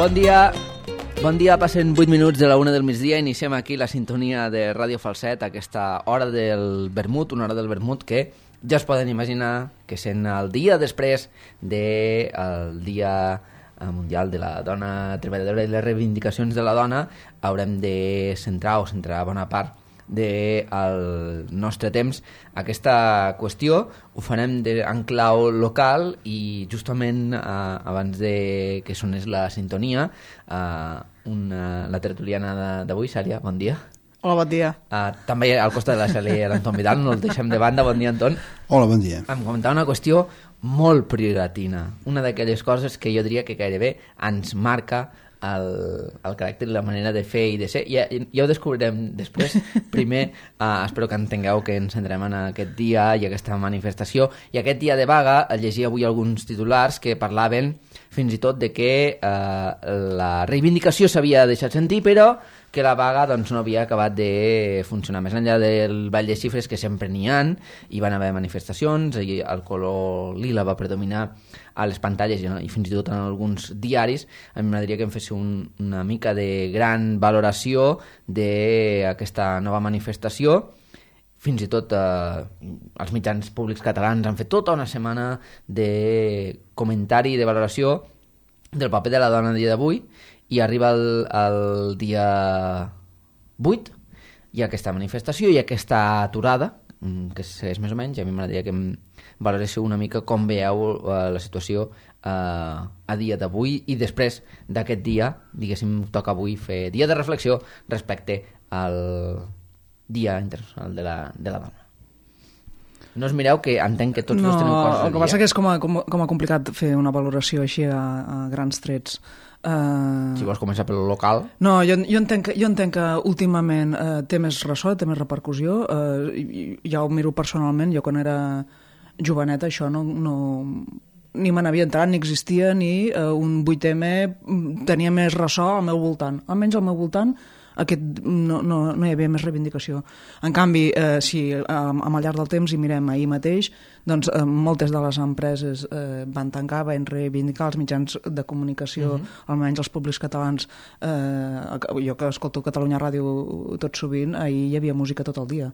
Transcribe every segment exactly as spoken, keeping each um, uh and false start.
Bon dia, bon dia, passen vuit minuts de la una del migdia, iniciem aquí la sintonia de Ràdio Falset, aquesta hora del vermut, una hora del vermut que ja es poden imaginar que sent el dia després del Dia Mundial de la Dona Treballadora i les reivindicacions de la dona, haurem de centrar o centrar bona part del nostre temps aquesta qüestió. Ho farem de, en clau local i justament eh, abans de que sonés la sintonia, eh, una, la tertuliana d'avui, Sària, bon dia. Hola, bon dia. Uh, també al costat de la Sàlia l'Anton Vidal, no el deixem de banda. Bon dia, Anton. Hola, bon dia. Em comentava una qüestió molt prioratina, una d'aquelles coses que jo diria que gairebé ens marca el, el caràcter i la manera de fer i de ser. Ja, ja ho descobrirem després. Primer, uh, espero que entengueu que ens centrem en aquest dia i aquesta manifestació. I aquest dia de vaga, llegia avui alguns titulars que parlaven fins i tot de que uh, la reivindicació s'havia deixat sentir, però que la vaga doncs, no havia acabat de funcionar. Més enllà del ball de xifres, que sempre n'hi ha, hi van haver manifestacions, i el color lila va predominar a les pantalles i, i fins i tot en alguns diaris. A mi m'agradaria que em fes un, una mica de gran valoració d'aquesta nova manifestació. Fins i tot eh, els mitjans públics catalans han fet tota una setmana de comentari i de valoració del paper de la dona a dia d'avui, i arriba el, el dia vuit i aquesta manifestació i aquesta aturada que segueix més o menys. A mi m'agradaria que em valoréssiu una mica com veieu uh, la situació uh, a dia d'avui, i després d'aquest dia, diguéssim, toca avui fer dia de reflexió respecte al Dia Internacional de la, de la Dona. No us mireu, que entenc que tots no, dos teniu coses a dir. El que passa que és com a, com, com a complicat fer una valoració així a, a grans trets. Uh... Si vols començar pel local. No, jo, jo, entenc, jo entenc que últimament uh, té més ressò, té més repercussió. Uh, ja ho miro personalment. Jo quan era joveneta això no, no, ni me n'havia entrat, ni existia, ni uh, un vuit eme tenia més ressò al meu voltant. Almenys al meu voltant aquest, no, no, no hi havia més reivindicació. En canvi, eh, si amb, amb el llarg del temps hi mirem ahir mateix, doncs eh, moltes de les empreses eh, van tancar, van reivindicar els mitjans de comunicació, uh-huh. almenys els públics catalans. Eh, jo que escolto Catalunya Ràdio tot sovint, ahir hi havia música tot el dia.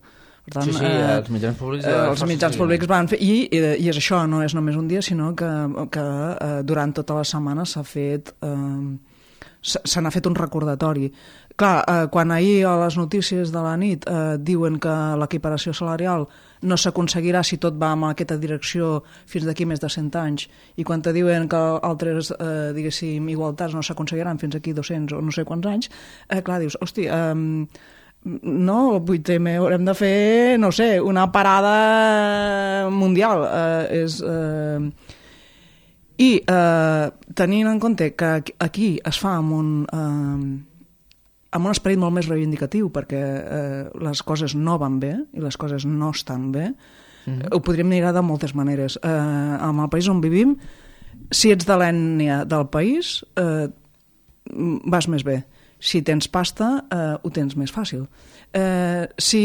Per tant, sí, sí, eh, els mitjans públics, eh, els mitjans públics van fer, i, i, i és això, no és només un dia, sinó que, que eh, durant tota la setmana s'ha fet... Eh, se n'ha fet un recordatori. Clar, eh, quan ahir a les notícies de la nit eh, diuen que l'equiparació salarial no s'aconseguirà si tot va en aquesta direcció fins d'aquí més de cent anys, i quan te diuen que altres, eh, diguéssim, igualtats no s'aconseguiran fins aquí dos-cents o no sé quants anys, eh, clar, dius, hosti, eh, no, el vuit eme haurem de fer, no sé, una parada mundial. Eh, és... Eh, I eh, tenint en compte que aquí es fa amb un, eh, amb un esperit molt més reivindicatiu, perquè eh, les coses no van bé i les coses no estan bé, mm-hmm. ho podríem mirar de moltes maneres. Eh, en el país on vivim, si ets de l'ètnia del país, eh, vas més bé. Si tens pasta, eh, ho tens més fàcil. Eh, si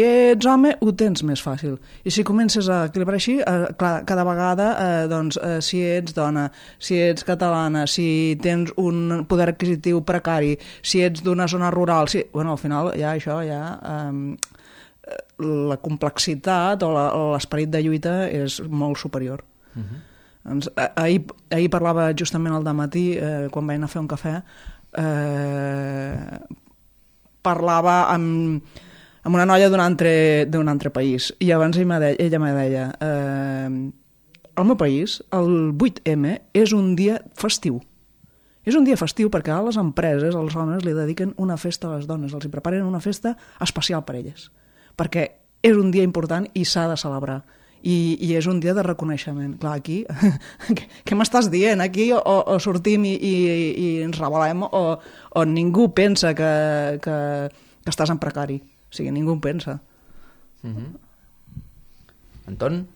ets home, ho tens més fàcil. I si comences a equilibrar així, eh, clar, cada vegada, eh, doncs, eh, si ets dona, si ets catalana, si tens un poder adquisitiu precari, si ets d'una zona rural, si... bueno, al final ja això, ja... Eh, la complexitat o l'esperit de lluita és molt superior. Uh-huh. Doncs, ahir, ahir parlava justament al dematí, eh, quan vaig anar a fer un cafè, Eh, parlava amb, amb una noia d'un altre, d'un altre país, i abans ella me deia, ella me deia eh, al meu país el vuit eme és un dia festiu. És un dia festiu perquè a les empreses, als homes, li dediquen una festa a les dones, els hi preparen una festa especial per elles, perquè és un dia important i s'ha de celebrar. I, i és un dia de reconeixement. Clar, aquí, què, què m'estàs dient? Aquí o, o sortim i, i, i ens revelem, o, o ningú pensa que, que, que estàs en precari. O sigui, ningú pensa. Mm-hmm. Anton?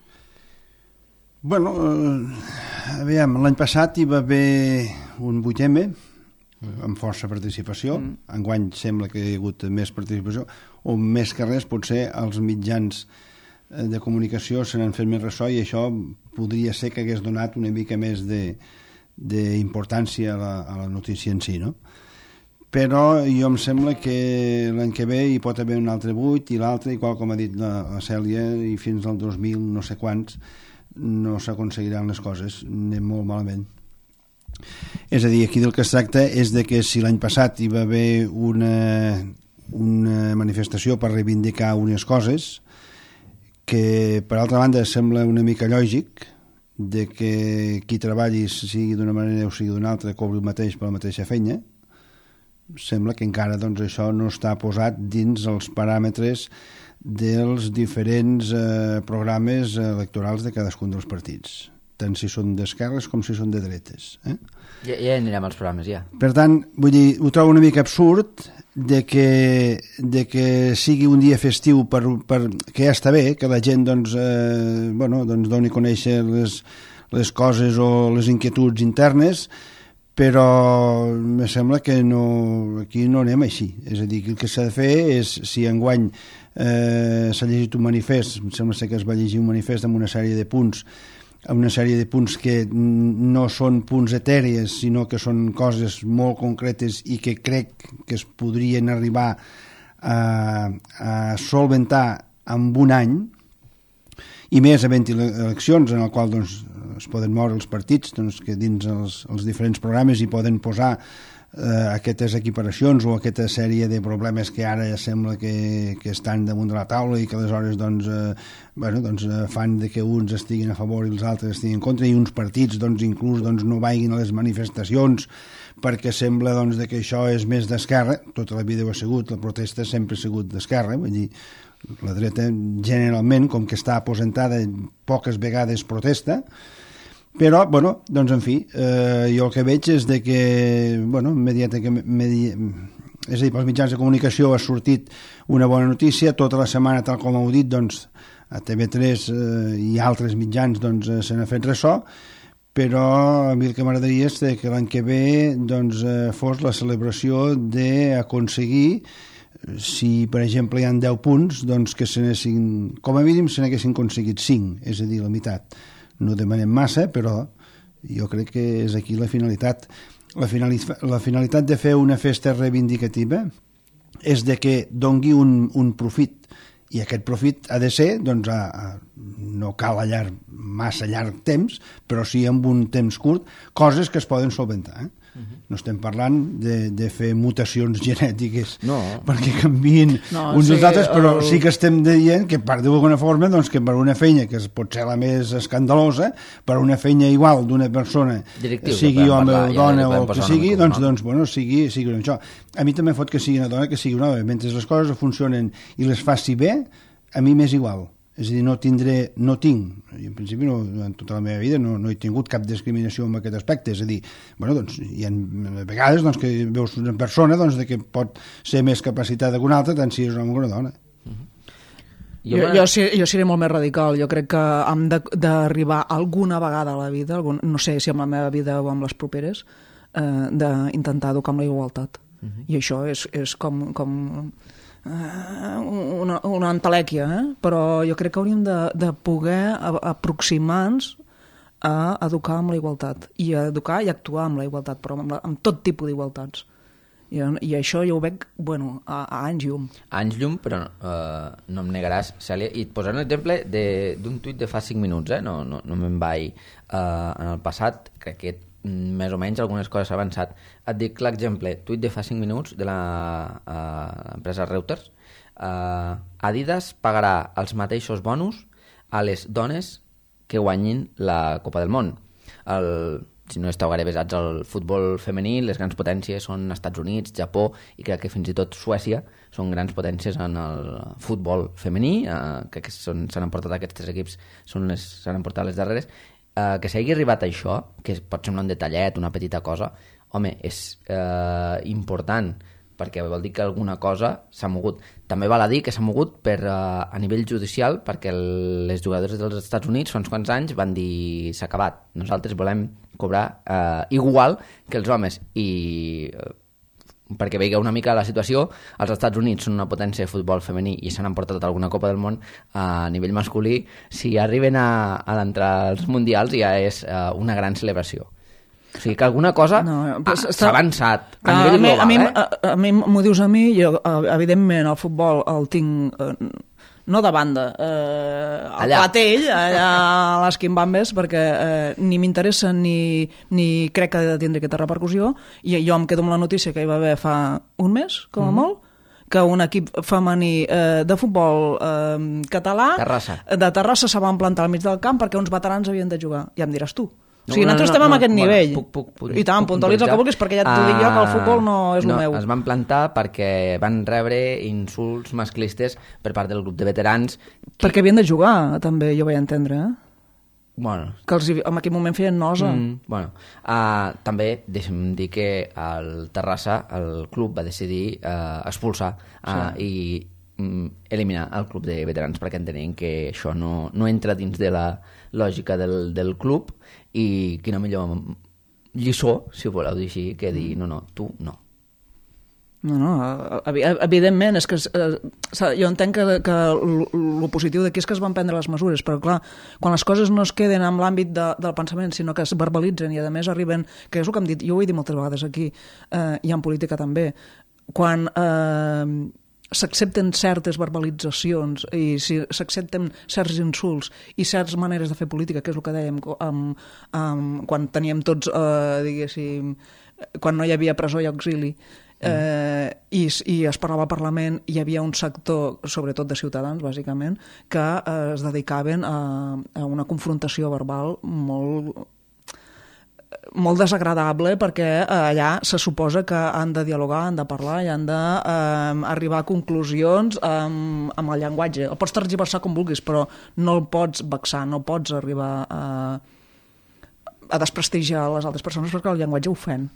Bueno, eh, aviam, l'any passat hi va haver un vuit eme amb força participació. Mm. Enguany sembla que hi ha hagut més participació, o més que res potser els mitjans de comunicació se n'han fet més ressò, i això podria ser que hagués donat una mica més de, d'importància a, la, a la notícia en si, no? Però jo em sembla que l'any que ve hi pot haver un altre buit i l'altre, igual com ha dit la, la Cèlia, i fins al dos mil no sé quants no s'aconseguiran les coses, anem molt malament. És a dir, aquí del que es tracta és de que si l'any passat hi va haver una, una manifestació per reivindicar unes coses que per altra banda sembla una mica lògic de que qui treballi sigui d'una manera o sigui d'una altra cobri el mateix per la mateixa feina, sembla que encara doncs, això no està posat dins els paràmetres dels diferents eh, programes electorals de cadascun dels partits, tant si són d'esquerres com si són de dretes. Eh? Ja, ja anirem als programes, ja. Per tant, vull dir, ho trobo una mica absurd de que, de que sigui un dia festiu per, per, que ja està bé, que la gent doncs, eh, bueno, doncs doni a conèixer les, les coses o les inquietuds internes, però me sembla que no, aquí no anem així. És a dir, que el que s'ha de fer és, si enguany eh, s'ha llegit un manifest, em sembla que es va llegir un manifest amb una sèrie de punts, amb una sèrie de punts que no són punts etèries, sinó que són coses molt concretes i que crec que es podrien arribar a, a solventar en un any, i més havent-hi eleccions en el qual doncs, es poden moure els partits doncs, que dins els, els diferents programes hi poden posar eh, aquestes equiparacions o aquesta sèrie de problemes que ara ja sembla que, que estan damunt de la taula i que aleshores doncs, eh, bueno, doncs, eh, fan de que uns estiguin a favor i els altres estiguin en contra, i uns partits doncs, inclús doncs, no vagin a les manifestacions perquè sembla doncs, de que això és més d'esquerra. Tota la vida ho ha sigut, la protesta sempre ha sigut d'esquerra, vull dir, la dreta generalment, com que està aposentada, poques vegades protesta, però, bueno, doncs en fi, eh, jo el que veig és de que, bueno, immediatament, medi... és a dir, pels mitjans de comunicació ha sortit una bona notícia, tota la setmana, tal com heu dit, doncs, a T V tres eh, i altres mitjans doncs, se n'ha fet ressò, però a mi el que m'agradaria és que l'any que ve doncs, eh, fos la celebració d'aconseguir, si per exemple hi ha deu punts, doncs que se n'haguessin, com a mínim se n'haguessin aconseguit cinc, és a dir, la meitat. No demanem massa, però jo crec que és aquí la finalitat. La finalitat, la finalitat de fer una festa reivindicativa és de que dongui un, un profit, i aquest profit ha de ser, doncs, a, a, no cal a llarg, massa llarg temps, però sí amb un temps curt, coses que es poden solventar, eh? No estem parlant de, de fer mutacions genètiques no. perquè canviïn no, uns dels sí, altres, però el... sí que estem dient que per d'alguna forma doncs, que per una feina que pot ser la més escandalosa, per una feina igual d'una persona, directiu, sigui home parlar, o dona ja o que sigui, doncs, doncs bueno, sigui, sigui això. A mi també fot que sigui una dona que sigui una home. Mentre les coses funcionen i les faci bé, a mi m'és igual. És a dir, no tindré, no tinc, en principi no, en tota la meva vida no, no he tingut cap discriminació en aquest aspecte, és a dir, bueno, doncs, hi ha vegades doncs, que veus una persona doncs, de que pot ser més capacitada que una altra, tant si és un home o una dona. Uh-huh. Jo, jo, jo, jo seré molt més radical, jo crec que hem d'arribar alguna vegada a la vida, algun, no sé si amb la meva vida o amb les properes, eh, d'intentar educar amb la igualtat. Uh-huh. I això és, és com... com una, una entelèquia, eh? Però jo crec que hauríem de, de poder aproximar-nos a educar amb la igualtat, i a educar i actuar amb la igualtat, però amb, la, amb tot tipus d'igualtats. I, I això jo ho veig, bueno, a, a anys llum. A anys llum, però uh, no em negaràs, Cèlia, i et posaré un exemple d'un tuit de fa cinc minuts, eh? no, no, no me'n vaig uh, en el passat, crec que més o menys algunes coses s'ha avançat. Et dic l'exemple, tuit de fa cinc minuts de l'empresa uh, Reuters. Uh, Adidas pagarà els mateixos bonus a les dones que guanyin la Copa del Món. El, si no esteu gaire besats al futbol femení, les grans potències són Estats Units, Japó i crec que fins i tot Suècia són grans potències en el futbol femení, uh, crec que s'han emportat aquests tres equips, s'han emportat les darreres. Uh, que s'hagi arribat a això, que pot semblar un detallet, una petita cosa, home, és uh, important, perquè vol dir que alguna cosa s'ha mogut. També val a dir que s'ha mogut per, uh, a nivell judicial, perquè el, les jugadores dels Estats Units fa uns quants anys van dir s'ha acabat, nosaltres volem cobrar uh, igual que els homes, i uh, perquè veieu una mica la situació, els Estats Units són una potència de futbol femení i s'han emportat alguna Copa del Món a nivell masculí. Si arriben a, a entrar als mundials ja és uh, una gran celebració. O sigui que alguna cosa No, ha- però s'ha està- avançat a A, nivell mi, global, a mi, eh? a, a mi m'ho dius a mi, jo, eh, evidentment, el futbol el tinc, eh, no de banda, eh, al Allà. platell, allà a les quimbambes, perquè eh, ni m'interessa ni, ni crec que ha de tindre aquesta repercussió, i jo em quedo amb la notícia que hi va haver fa un mes, com a Mhm. molt, que un equip femení eh, de futbol eh, català Terrassa. de Terrassa se van plantar al mig del camp perquè uns veterans havien de jugar. Ja em diràs tu. O sigui, No, no, nosaltres no, estem no, amb aquest bueno, nivell. puc- puc- puc- I tant, puc puntualitza el que puntualitzar. vulguis, perquè ja t'ho dic jo, que el futbol no és el no, meu. Es van plantar perquè van rebre insults masclistes per part del grup de veterans. Perquè havien de jugar, també, jo vaig entendre, eh? Bueno, Que els, hi- en aquell moment feien nosa. Mm, bueno, uh, també deixa'm dir que el Terrassa, el club va decidir uh, expulsar uh, sí. i mm, eliminar el club de veterans perquè entenien que això no, no entra dins de la lògica del, del club i quina millor lliçó, si ho voleu dir així, que dir no, no, tu no. No, no, evi- evidentment, és que eh, s'ha- jo entenc que, que el positiu d'aquí és que es van prendre les mesures, però clar, quan les coses no es queden en l'àmbit de, del pensament, sinó que es verbalitzen i a més arriben, que és el que hem dit, jo ho he dit moltes vegades aquí, eh, i en política també, quan eh, s'accepten certes verbalitzacions i si s'accepten certs insults i certes maneres de fer política, que és el que dèiem amb, amb, quan teníem tots, eh, diguéssim, quan no hi havia presó i auxili, eh, i, i es parlava al Parlament, hi havia un sector, sobretot de ciutadans, bàsicament, que eh, es dedicaven a, a una confrontació verbal molt molt desagradable perquè eh, allà se suposa que han de dialogar, han de parlar i han d'arribar a conclusions amb, amb el llenguatge. El pots tergiversar com vulguis, però no el pots vexar, no pots arribar a, a desprestigiar les altres persones perquè el llenguatge ofèn.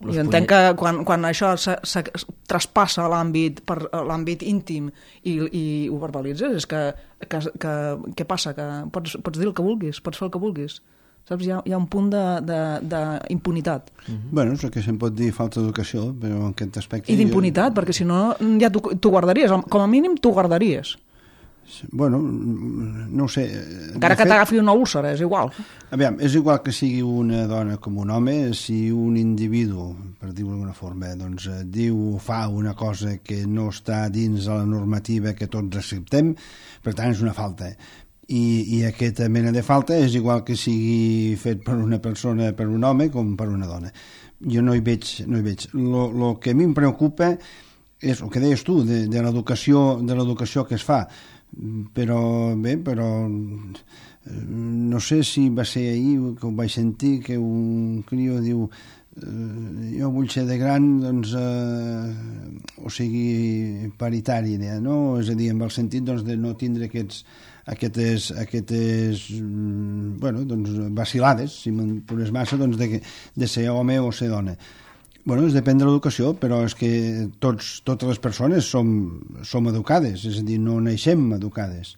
Los Jo entenc que quan, quan això se, se traspassa l'àmbit per l'àmbit íntim i, i ho verbalitzes, és que, que, que què passa? Que pots, pots dir el que vulguis, pots fer el que vulguis. Saps? Hi ha, hi ha un punt d'impunitat. Mm-hmm. Bueno, és el que se'n pot dir falta d'educació, però en aquest aspecte... I d'impunitat, jo... perquè si no ja t'ho guardaries, com a mínim t'ho guardaries. Bueno, no ho sé... Encara que t'agafi una úlcera, és igual. Aviam, és igual que sigui una dona com un home, si un individu, per dir-ho d'alguna forma, doncs, diu o fa una cosa que no està dins de la normativa que tots acceptem, per tant és una falta. I, i aquesta mena de falta és igual que sigui fet per una persona, per un home, com per una dona. Jo no hi veig... No hi veig. Lo, lo que a mi em preocupa és el que deies tu, de, de l'educació de l'educació que es fa. Però, bé, però... No sé si va ser ahir que ho vaig sentir, que un crió diu eh, jo vull ser de gran, doncs, eh, o sigui, paritari, no? És a dir, amb el sentit doncs, de no tindre aquests aquestes, aquestes bueno, doncs, vacilades, si me'n posés massa, doncs, de, de ser home o ser dona. Bueno, es depèn de l'educació, però és que tots, totes les persones som, som educades, és a dir, no naixem educades.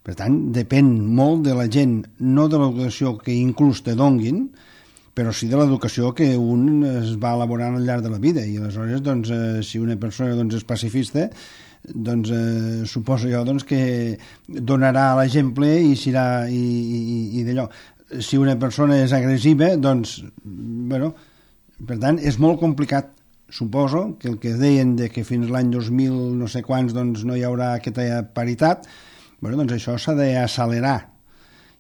Per tant, depèn molt de la gent, no de l'educació que inclús te donguin, però sí de l'educació que un es va elaborant al llarg de la vida. I aleshores, doncs, eh, si una persona doncs, és pacifista, doncs eh, suposo jo doncs, que donarà l'exemple i serà i, i, i d'allò. Si una persona és agressiva, doncs, bueno, per tant, és molt complicat. Suposo que el que deien de que fins l'any dos mil no sé quants doncs, no hi haurà aquesta paritat, bueno, doncs això s'ha d'accelerar.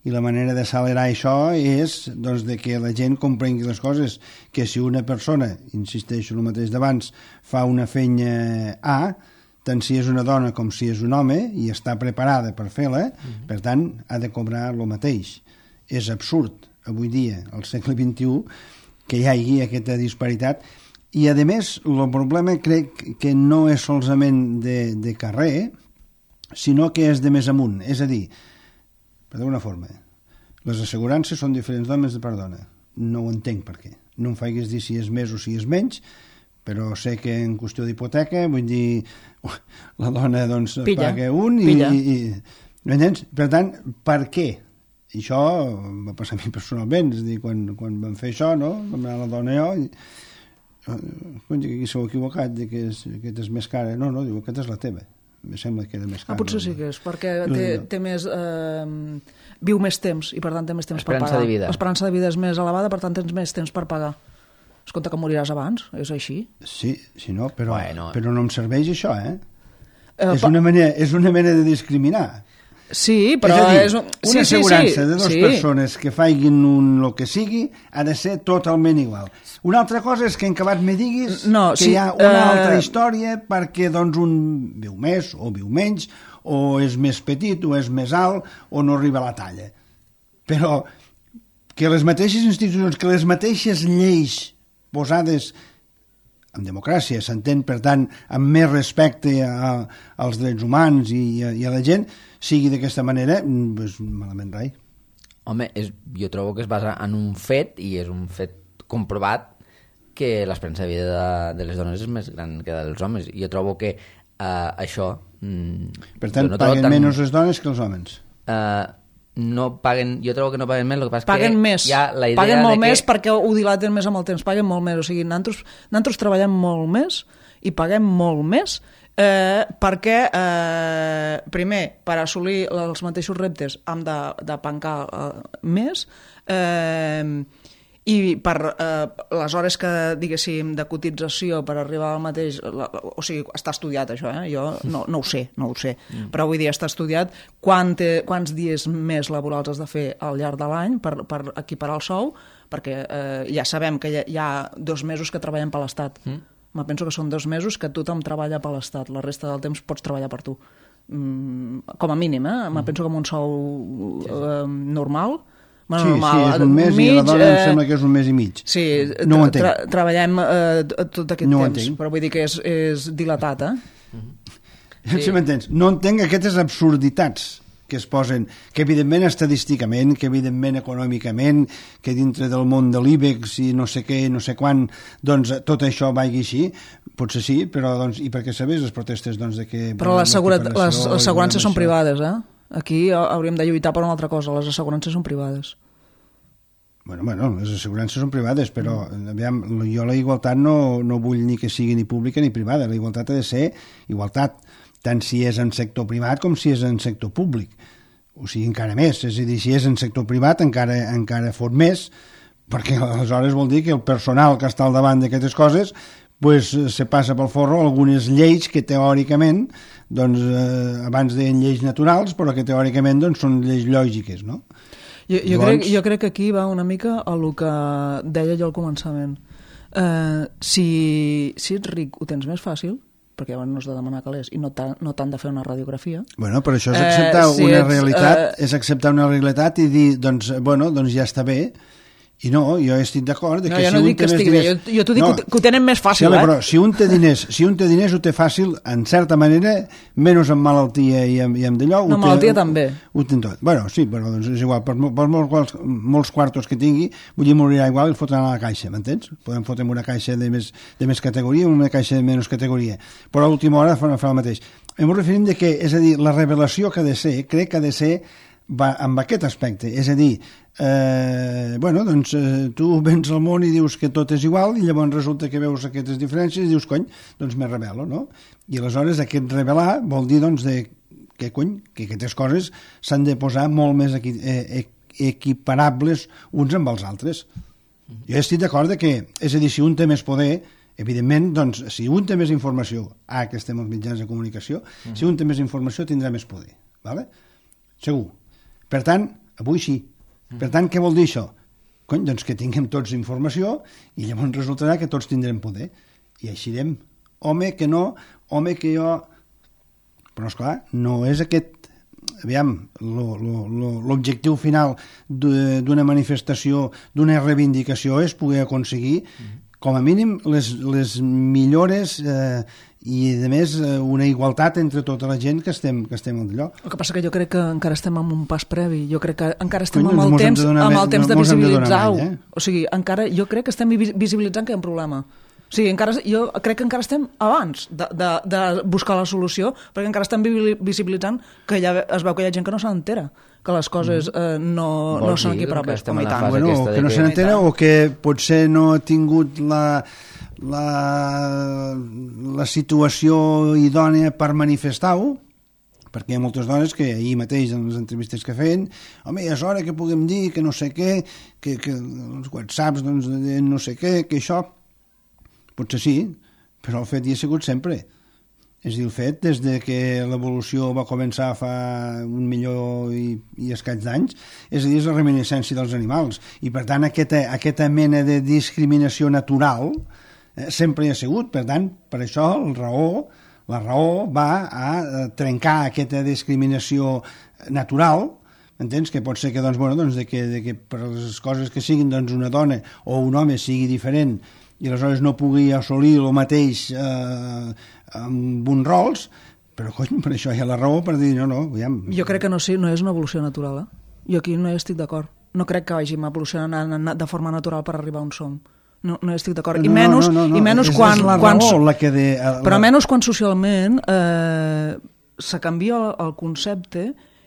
I la manera d'accelerar això és doncs, de que la gent comprengui les coses, que si una persona, insisteixo el mateix d'abans, fa una feina A, tant si és una dona com si és un home, i està preparada per fer-la, mm-hmm. per tant, ha de cobrar el mateix. És absurd, avui dia, al segle vint-i-u, que hi hagi aquesta disparitat. I, a més, el problema crec que no és solament de, de carrer, sinó que és de més amunt. És a dir, per d'una forma, les assegurances són diferents d'homes de per dona. No ho entenc per què. No em faiguis dir si és més o si és menys, però sé que en qüestió d'hipoteca, vull dir, la dona doncs Pilla. paga un i... Pilla. i, i m'entens? Per tant, per què? I això va passar a mi personalment, és a dir, quan, quan vam fer això, no? Vam anar la dona i jo, i, uh, aquí s'heu equivocat, que és, aquesta és més cara. No, no, diu, aquesta és la teva. me sembla que era més car. Ah, potser sí que és, perquè té, té més... Eh, viu més temps i per tant té més temps per pagar. De vida. L'esperança de vida és més elevada, per tant tens més temps per pagar. Es compta que moriràs abans, és així? Sí, sí no, però, bueno. però no em serveix això, eh? eh és, una manera, és una manera de discriminar. Sí, però... És a dir, és un... una sí, assegurança sí, sí. de dues sí. persones que faiguin un, el que sigui ha de ser totalment igual. Una altra cosa és que en acabat me diguis no, que sí, hi ha una uh... altra història perquè doncs, un viu més o viu menys, o és més petit o és més alt o no arriba a la talla. Però que les mateixes institucions, que les mateixes lleis posades en democràcia, s'entén, per tant, amb més respecte a, als drets humans i a, i a la gent, sigui d'aquesta manera, doncs malament rai. Home, és, jo trobo que es basa en un fet, i és un fet comprovat, que l'esperança de vida de, de les dones és més gran que dels homes. Jo trobo que uh, això... Mm, per tant, no paguen tan... menys les dones que els homes. Uh, no paguen, jo trobo que no paguen més, el que passa paguen que més, hi ha la idea paguen molt de que... més perquè ho dilaten més amb el temps, paguen molt més, o sigui, nosaltres, nosaltres treballem molt més i paguem molt més eh, perquè eh, primer, per assolir els mateixos reptes hem de, de pancar eh, més eh, i per eh, les hores que, diguéssim, de cotització per arribar al mateix... La, o sigui, està estudiat això, eh? Jo no, no ho sé, no ho sé, mm. però vull dir, està estudiat quant, quants dies més laborals has de fer al llarg de l'any per, per equiparar el sou, perquè eh, ja sabem que hi ha, hi ha dos mesos que treballem per l'Estat. Mm. Me penso que són dos mesos que tothom treballa per l'Estat, la resta del temps pots treballar per tu. Mm, com a mínim, eh? Me mm. penso que amb un sou eh, normal... Bueno, sí, normal, sí, és un mes mig, i la dona eh, em sembla que és un mes i mig. Sí, no ho entenc. Tra treballem eh, tot aquest no temps, però vull dir que és, és dilatat, eh? Sí. Si m'entens? No entenc aquestes absurditats que es posen, que evidentment estadísticament, que evidentment econòmicament, que dintre del món de l'IBEX i no sé què, no sé quan, doncs tot això vagi així, potser sí, però doncs, i perquè sabés les protestes doncs, de que... Però les, les assegurances són privades, eh? Aquí hauríem de lluitar per una altra cosa, les assegurances són privades. Bueno, bueno, les assegurances són privades, però aviam, jo la igualtat no, no vull ni que sigui ni pública ni privada, la igualtat ha de ser igualtat, tant si és en sector privat com si és en sector públic, o sigui, encara més, és a dir, si és en sector privat encara, encara fot més, perquè aleshores vol dir que el personal que està al davant d'aquestes coses pues, se passa pel forro algunes lleis que teòricament doncs, eh, abans deien lleis naturals, però que teòricament doncs, són lleis lògiques, no? Jo, jo, Llavors... crec, jo crec que aquí va una mica a el que deia jo al començament. Eh, si, si ets ric ho tens més fàcil, perquè llavors no has de demanar calés i no t'han no de fer una radiografia. Bueno, però això és acceptar eh, si una ets, realitat, eh... és acceptar una realitat i dir, doncs, bueno, doncs ja està bé. I no, jo estic d'acord que no, si no un dic té que més estigui diners... bé, jo, jo t'ho dic no. que, que ho tenen més fàcil, sí, home, eh? Però si un té diners, si un té diners ho té fàcil, en certa manera, menys amb malaltia i amb, i amb d'allò... No, malaltia té, també. Ho, ho té tot. Bueno, sí, però doncs és igual, per, per molts, molts quartos que tingui, vull dir, morirà igual i el fotran a la caixa, m'entens? Podem fotre una caixa de més, de més categoria, una caixa de menys categoria, però a l'última hora fa, fa el mateix. Em referim de que, és a dir, la revelació que ha de ser, crec que ha de ser va amb aquest aspecte, és a dir, eh, bueno, doncs eh, tu vens al món i dius que tot és igual i llavors resulta que veus aquestes diferències i dius, cony, doncs me rebel·lo, no? I aleshores aquest revelar vol dir, doncs, de, que, cony, que aquestes coses s'han de posar molt més equi, eh, equiparables uns amb els altres. Jo estic d'acord que, és a dir, si un té més poder, evidentment, doncs, si un té més informació, ah, que estem als mitjans de comunicació, uh-huh. si un té més informació tindrà més poder, ¿vale? Segur. Per tant, avui sí. Per tant, què vol dir això? Cony, doncs que tinguem tots informació i llavors resultarà que tots tindrem poder. I així direm, home que no, home que jo... Però, esclar, no és aquest... Aviam, l'objectiu final d'una manifestació, d'una reivindicació és poder aconseguir, com a mínim, les, les millores... Eh, i a més una igualtat entre tota la gent que estem, que estem al lloc. El que passa que jo crec que encara estem en un pas previ, jo crec que encara estem amb el temps, amb el temps de visibilitzar-ho. Eh? O sigui, encara, jo crec que estem visibilitzant que hi ha un problema. O sigui, encara, jo crec que encara estem abans de, de, de buscar la solució, perquè encara estem visibilitzant que ja es veu que hi ha gent que no se n'entera, que les coses eh, no, no són aquí prop. Bueno, que no se n'entera o que potser no ha tingut la... la, la situació idònea per manifestar-ho, perquè hi ha moltes dones que ahir mateix en les entrevistes que feien, home, és hora que puguem dir que no sé què, que, que els whatsapps doncs, no sé què, que això potser sí, però el fet hi ha sigut sempre. És a dir, el fet des de que l'evolució va començar fa un milió i, i escaig d'anys, és a dir, és la reminiscència dels animals, i per tant aquesta, aquesta mena de discriminació natural eh, sempre hi ha sigut. Per tant, per això el raó La raó va a trencar aquesta discriminació natural, entens? Que pot ser que, doncs, bueno, doncs, de que, de que per les coses que siguin doncs, una dona o un home sigui diferent i aleshores no pugui assolir el mateix eh, amb uns rols, però cony, per això hi ha la raó per dir no, no, aviam. Jo crec que no, sí, no és una evolució natural, eh? Jo aquí no hi estic d'acord. No crec que vagin evolucionant de forma natural per arribar on som. No, no estic d'acord. I menys, no, no, no, i menys és, quan... És la quan raó la que de... La... Però menys quan socialment eh, se canvia el, el concepte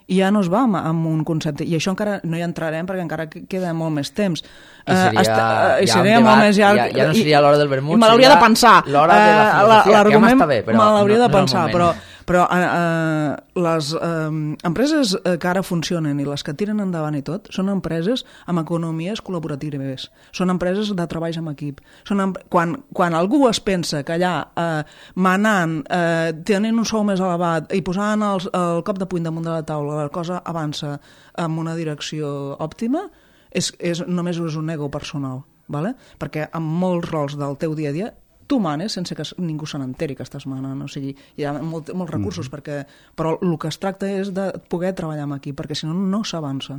i ja no es va amb, amb un concepte. I això encara no hi entrarem perquè encara queda molt més temps. I seria, eh, esta, eh, i ja seria molt més llarg. Ja, ja no seria l'hora del vermut, I me l'hauria de pensar. L'hora de la filosofia, que ja m'està bé, però... Me l'hauria no, de pensar, no però... Però eh, eh, les eh, empreses que ara funcionen i les que tiren endavant i tot són empreses amb economies col·laboratives, són empreses de treballs en equip. Són em... quan, quan algú es pensa que allà eh, manant, eh, tenint un sou més elevat i posant el, el cop de puny damunt de la taula, la cosa avança en una direcció òptima, és, és, només és un ego personal, ¿vale? Perquè en molts rols del teu dia a dia tu manes sense que ningú se n'enteri que estàs manant, o sigui, hi ha molt, molts recursos, mm. perquè, però el que es tracta és de poder treballar amb equip, perquè si no, no s'avança.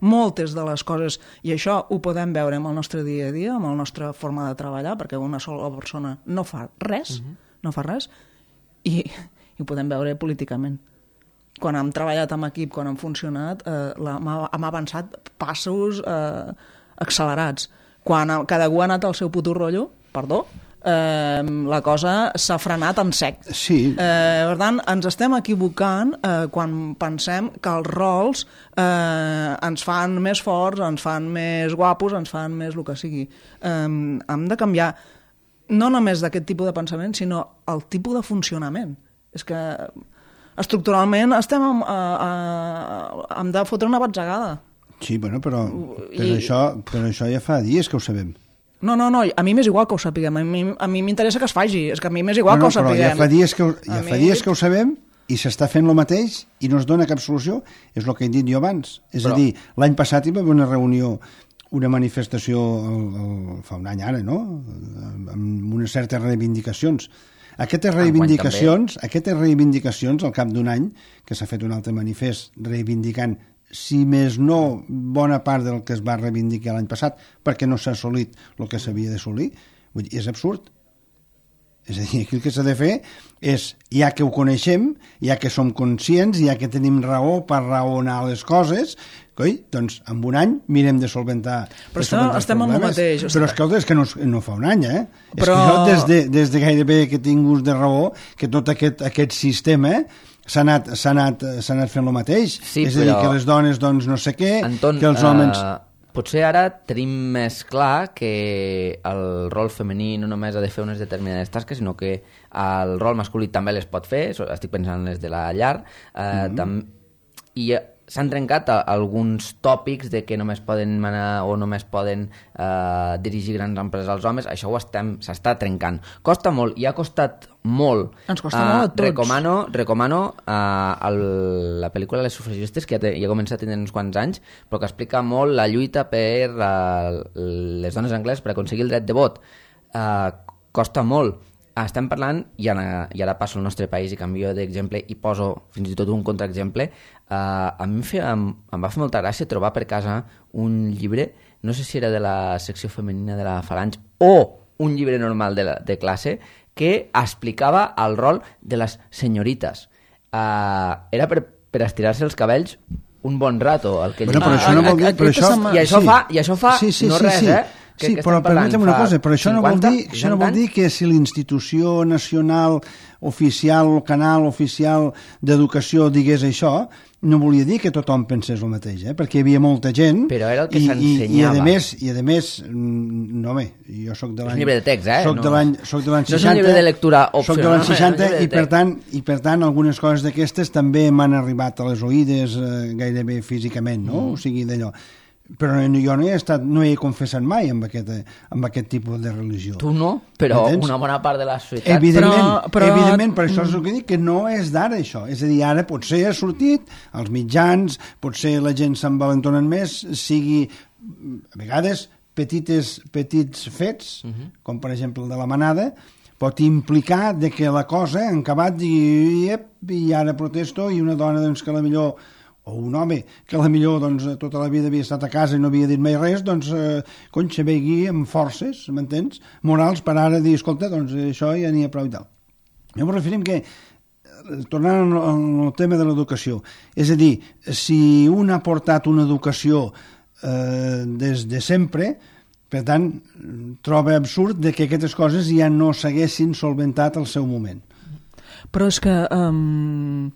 Moltes de les coses, i això ho podem veure amb el nostre dia a dia, amb la nostra forma de treballar, perquè una sola persona no fa res, mm-hmm. no fa res, i, i ho podem veure políticament. Quan hem treballat amb equip, quan hem funcionat, eh, la, hem avançat passos eh, accelerats. Quan cada un ha anat al seu puto rotllo, perdó, Eh, la cosa s'ha frenat en sec. Sí. Eh, per tant, ens estem equivocant eh, quan pensem que els rols eh, ens fan més forts, ens fan més guapos, ens fan més el que sigui. Eh, hem de canviar no només d'aquest tipus de pensament, sinó el tipus de funcionament. És que estructuralment estem amb, a, a, hem de fotre una batzegada. Sí, bueno, però, però, I... això, però això ja fa dies que ho sabem. No, no, no, a mi m'és igual que ho sapiguem, a mi a mi m'interessa que es faci, és que a mi m'és igual no, no, que ho sapiguem. Però ja fa dies que ho, ja mi... fa dies que ho sabem i s'està fent el mateix i no es dona cap solució, és el que he dit jo abans. És però... a dir, l'any passat hi va haver una reunió, una manifestació el, el, fa un any ara, no?, amb unes certes reivindicacions. Aquestes reivindicacions, aquestes reivindicacions, al cap d'un any, que s'ha fet un altre manifest reivindicant, si més no, bona part del que es va reivindicar l'any passat, perquè no s'ha assolit el que s'havia d'assolir, vull dir, és absurd. És a dir, aquí el que s'ha de fer és, ja que ho coneixem, ja que som conscients, ja que tenim raó per raonar les coses, coi, doncs en un any mirem de solventar, però de solventar estem amb el mateix. Però escolta, és que no, no fa un any, eh? Però... És que jo des de, des de gairebé que tinc ús de raó, que tot aquest, aquest sistema s'ha anat, s'ha anat, s'ha anat fent el mateix. Sí, és a dir, que les dones doncs no sé què, Anton, que els homes... Uh, potser ara tenim més clar que el rol femení no només ha de fer unes determinades tasques, sinó que el rol masculí també les pot fer, estic pensant en les de la llar, uh, mm-hmm. tam... i s'han trencat alguns tòpics de que només poden manar o només poden eh, dirigir grans empreses als homes. Això ho estem, s'està trencant. Costa molt, i ha costat molt. Ens costa uh, molt a tots. Recomano, recomano uh, el, la pel·lícula Les sufragistes, que ja, té, ja ha començat a tenir uns quants anys, però que explica molt la lluita per uh, les dones angleses per aconseguir el dret de vot. Uh, costa molt. Estem parlant, i ara, i ara passo al nostre país i canvio d'exemple i poso fins i tot un contraexemple. Uh, a mi em, feia, em, em va fer molta gràcia trobar per casa un llibre, no sé si era de la secció femenina de la Falange o un llibre normal de, la, de classe, que explicava el rol de les senyorites. Uh, era per, per estirar-se els cabells un bon rato. El que bueno, però això no vol dir... Però això, I això sí. fa, i això fa sí, sí, no sí, res, sí. eh? que, sí, que però permetem una cosa, però això no vol dir, cinquanta, això no vol dir que si l'institució nacional oficial o canal oficial d'educació digués això, no volia dir que tothom pensés el mateix, eh? Perquè hi havia molta gent... Però era el que i, s'ensenyava. I, i, a més, i a més, no bé, jo soc de l'any... És llibre de text, eh? Soc no, de l'any soc de l'any no seixanta... és un llibre de lectura opcional. Soc de l'any seixanta no, i, per tant, i per tant algunes coses d'aquestes també m'han arribat a les oïdes eh, gairebé físicament, no? Mm. O sigui, d'allò... Però jo no he estat, no he confessat mai amb aquest, amb aquest tipus de religió. Tu no, però Entens? Una bona part de la societat... Evidentment, però, però... evidentment, per això és el que dic, que no és d'ara això. És a dir, ara potser ha sortit als mitjans, potser la gent se'n valentonen més, sigui, a vegades, petites, petits fets, uh -huh. com per exemple el de la manada, pot implicar de que la cosa ha acabat i, i ara protesto i una dona doncs, que a la millor o un home que a la millor doncs, tota la vida havia estat a casa i no havia dit mai res, doncs, eh, cony, se vegui amb forces, m'entens, morals, per ara dir, escolta, doncs això ja n'hi ha prou i tal. Jo m'ho referim que, tornant al tema de l'educació, és a dir, si un ha portat una educació eh, des de sempre, per tant, troba absurd de que aquestes coses ja no s'haguessin solventat al seu moment. Però és que... Um...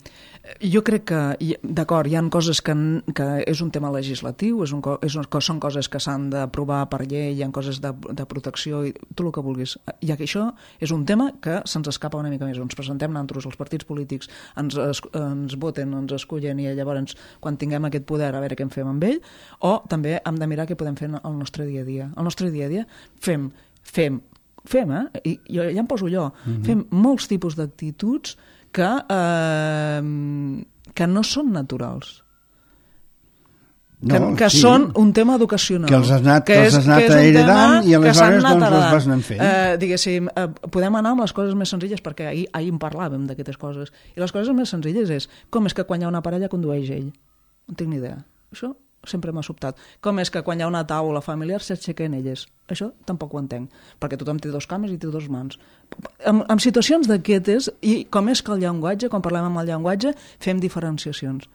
Jo crec que, d'acord, hi ha coses que, que és un tema legislatiu, és un, és un, són coses que s'han d'aprovar per llei, hi ha coses de, de protecció, i tot el que vulguis. Ja que això és un tema que se'ns escapa una mica més. Ens presentem nosaltres, els partits polítics, ens, es, ens voten, ens escullen i llavors, quan tinguem aquest poder, a veure què en fem amb ell, o també hem de mirar què podem fer al nostre dia a dia. Al nostre dia a dia fem, fem, fem, eh? I jo ja em poso jo, mm-hmm. fem molts tipus d'actituds que, eh, que no són naturals. No, que que sí. Són un tema educacional. Que els has anat, que és, que has anat que heredant i aleshores doncs els vas anant fent. Eh, diguéssim, eh, podem anar amb les coses més senzilles, perquè ahir, ahir en parlàvem d'aquestes coses. I les coses més senzilles és com és que quan hi ha una parella condueix ell. No tinc ni idea. Això sempre m'ha sobtat. Com és que quan hi ha una taula familiar s'aixequen elles? Això tampoc ho entenc, perquè tothom té dos cames i té dos mans. En, en situacions d'aquestes, i com és que el llenguatge, quan parlem amb el llenguatge, fem diferenciacions.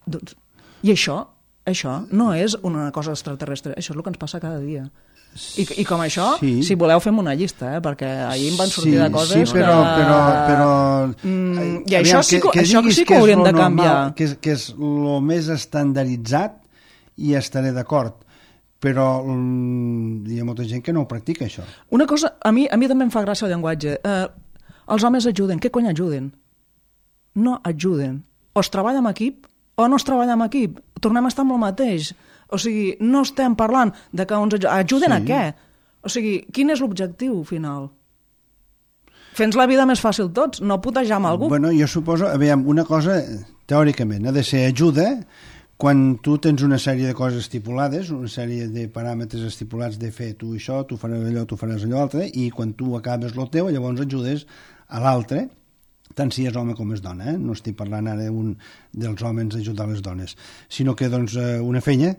Doncs, i això, això no és una cosa extraterrestre, això és el que ens passa cada dia. I, i com això, sí. Si voleu fem una llista, eh? Perquè ahir em van sortir sí, de coses sí, però, que... Però, però, mm, I això sí que, que, això sí que ho hauríem de canviar. Normal, que, és, que és el més estandarditzat i estaré d'acord. Però mm, hi ha molta gent que no ho practica, això. Una cosa, a mi, a mi també em fa gràcia el llenguatge. Eh, els homes ajuden. Què cony ajuden? No ajuden. O es treballa amb equip o no es treballa amb equip. Tornem a estar amb el mateix. O sigui, no estem parlant de que ens ajuden sí. A què? O sigui, quin és l'objectiu final? Fent la vida més fàcil tots, no putejar amb algú. Bueno, jo suposo, aviam, una cosa, teòricament, ha de ser ajuda quan tu tens una sèrie de coses estipulades, una sèrie de paràmetres estipulats de fer tu això, tu faràs allò, tu faràs allò altre, i quan tu acabes el teu, llavors ajudes a l'altre, tant si és home com és dona, eh? No estic parlant ara un dels homes ajudar les dones, sinó que doncs, una fenya,